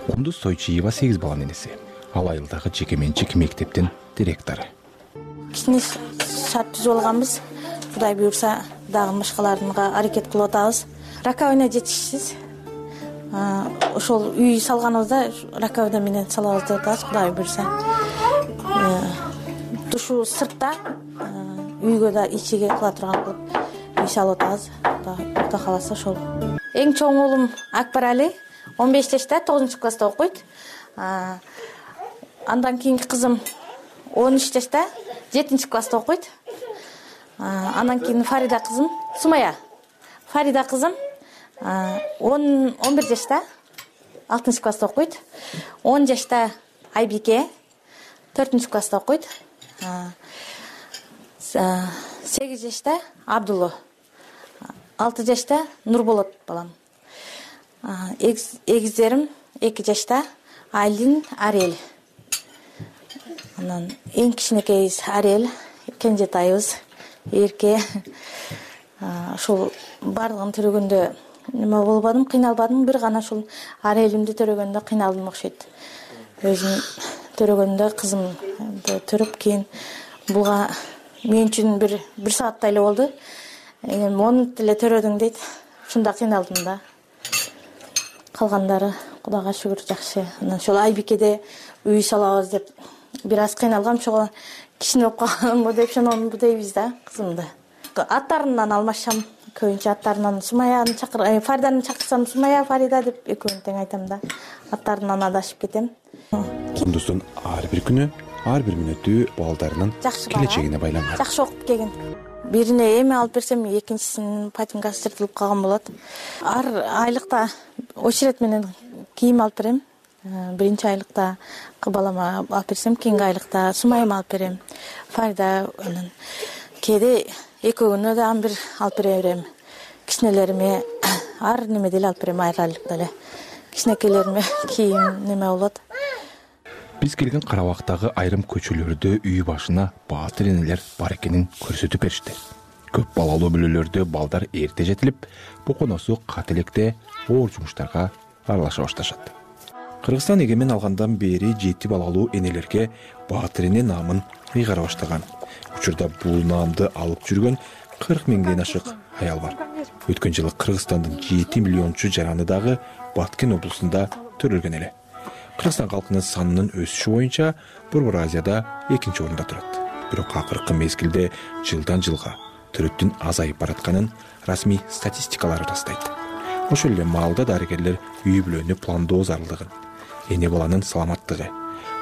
Кундуз Тойчиева 8 баланын энеси. Ал айылдагы жеке-менчик мектептин директору. Кичине шарт түзүп алганбыз. Кудай буйрса дагы башкаларга аракет кылып атабыз. Раковина жетишсиз. Ошол үй салганыбызда раковина менен салабыз деп атабыз, Кудай буйрса. Душу сыртта, үйгө да ичиге кыла турган кылып үй салып атабыз. Кудай кааласа ошол. Эң чоң уулум Акбарали 15 жашта, 9 класста окуйт. Андан кийинки кызым 13 жашта, 7 класста окуйт. Андан кийин Фарида кызым, Сумая. Фарида кызым 11 жашта, 6 класста окуйт. 10 жашта Айбике 4 класста окуйт. 8 жашта Абдулла. 6 жашта Нурболот балам. Эгиздерим 2 жашта Айлин, Арел. Анан эң кичинекейибиз Арел, кенжетайыбыз Эрке. Ошол бардыгын төрөгөндө неме болбадым, кыйналбадым, бир гана ушул Арелимди төрөгөндө кыйналдым окшойт. Өзүм төрөгөндө кызымды төрөп кийин буга мен үчүн бир сааттай эле болду. Монут эле төрөдүң дейт. Ушунда кыйналдым да. Калгандары Кудайга шүгүр жакшы. Анан ошол Айбикеде үй салабыз деп бир аз кыйналгам, чого кичине болуп калганбы деп шононбу дейбиз да кызымды. Аттарынан алмашам, көбүнчө аттарынан Сумаяны Фариданы чакырсам Сумая, Фарида деп экөөнү тең айтам да. Аттарынан адашып кетем. Кундуздун ар бир күнү ар бир мүнөтү балдарынын келечегине байланган. Жакшы окуп келген. Бирине эме алып берсем, экинчисинин патинкасы жыртылып калган болот. Ар айлыкта очеред менен кийим алып берем. Биринчи айлыкта балама алып берсем, кийинки айлыкта сумайыма алып берем. Фарда анан кээде экөөгүнө да бир алып бере берем. Кичинелериме ар немеде эле алып берем, ар айлыкта эле. Кичинекейлериме кийим неме болот. Биз келген Карабактагы айрым көчөлөрдө үй башына баатыр энелер бар экенин көрсөтүп беришти. Көп балалуу бүлөлөрдө балдар эрте жетилип, боконосу кат электе оор жумуштарга аралаша башташат. Кыргызстан эгемен алгандан бери 7 балалуу энелерге баатыр эне наамын ыйгара баштаган. Учурда бул наамды алып жүргөн 40 миңден ашык аял бар. Өткөн жылы Кыргызстандын 7 миллиончу жараны дагы Баткен облусунда төрөлгөн эле. Кыргызстан калкынын санынын өсүшү боюнча Борбор Азияда 2-нчи орунда турат. Бирок акыркы мезгилде жылдан жылга төрөттүн азайып баратканын расмий статистикалар ырастайт. Ошол эле маалда дарыгерлер үй бүлөнү пландоо зарылдыгын, эне баланын саламаттыгы,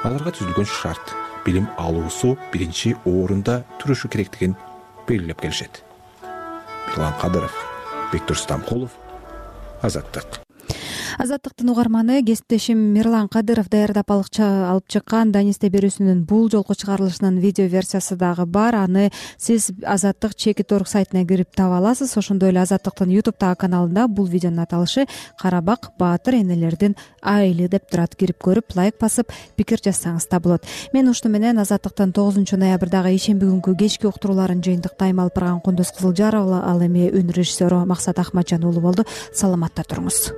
аларга түзүлгөн шарт, билим алуусу биринчи орунда турушу керектигин белгилеп келишет. Мирлан Кадыров, Бектур Стамкулов, Азаттык. Азаттыктын угарманы кесиптешим Мирлан Кадыров даярдап алып чыккан Данисте берүүсүнүн бул жолку чыгарылышынын видео версиясы дагы бар. Аны сиз Азаттык Чекит.org сайтына кирип таба аласыз. Ошондой эле Азаттыктын YouTube'дагы каналында бул видеонун аталышы Карабак баатыр энелердин айылы деп турат. Кирип көрүп, лайк басып, пикир жазсаңыз да болот. Мен ушуну менен Азаттыктын 9 ноябрдагы ишемби күнгү кечки уктурууларын жыйынтыктайм. Алып барган Кундуз Кызылжарова, ал эми үн режиссеру Максат Ахматжан уулу болду. Саламатта туруңуз.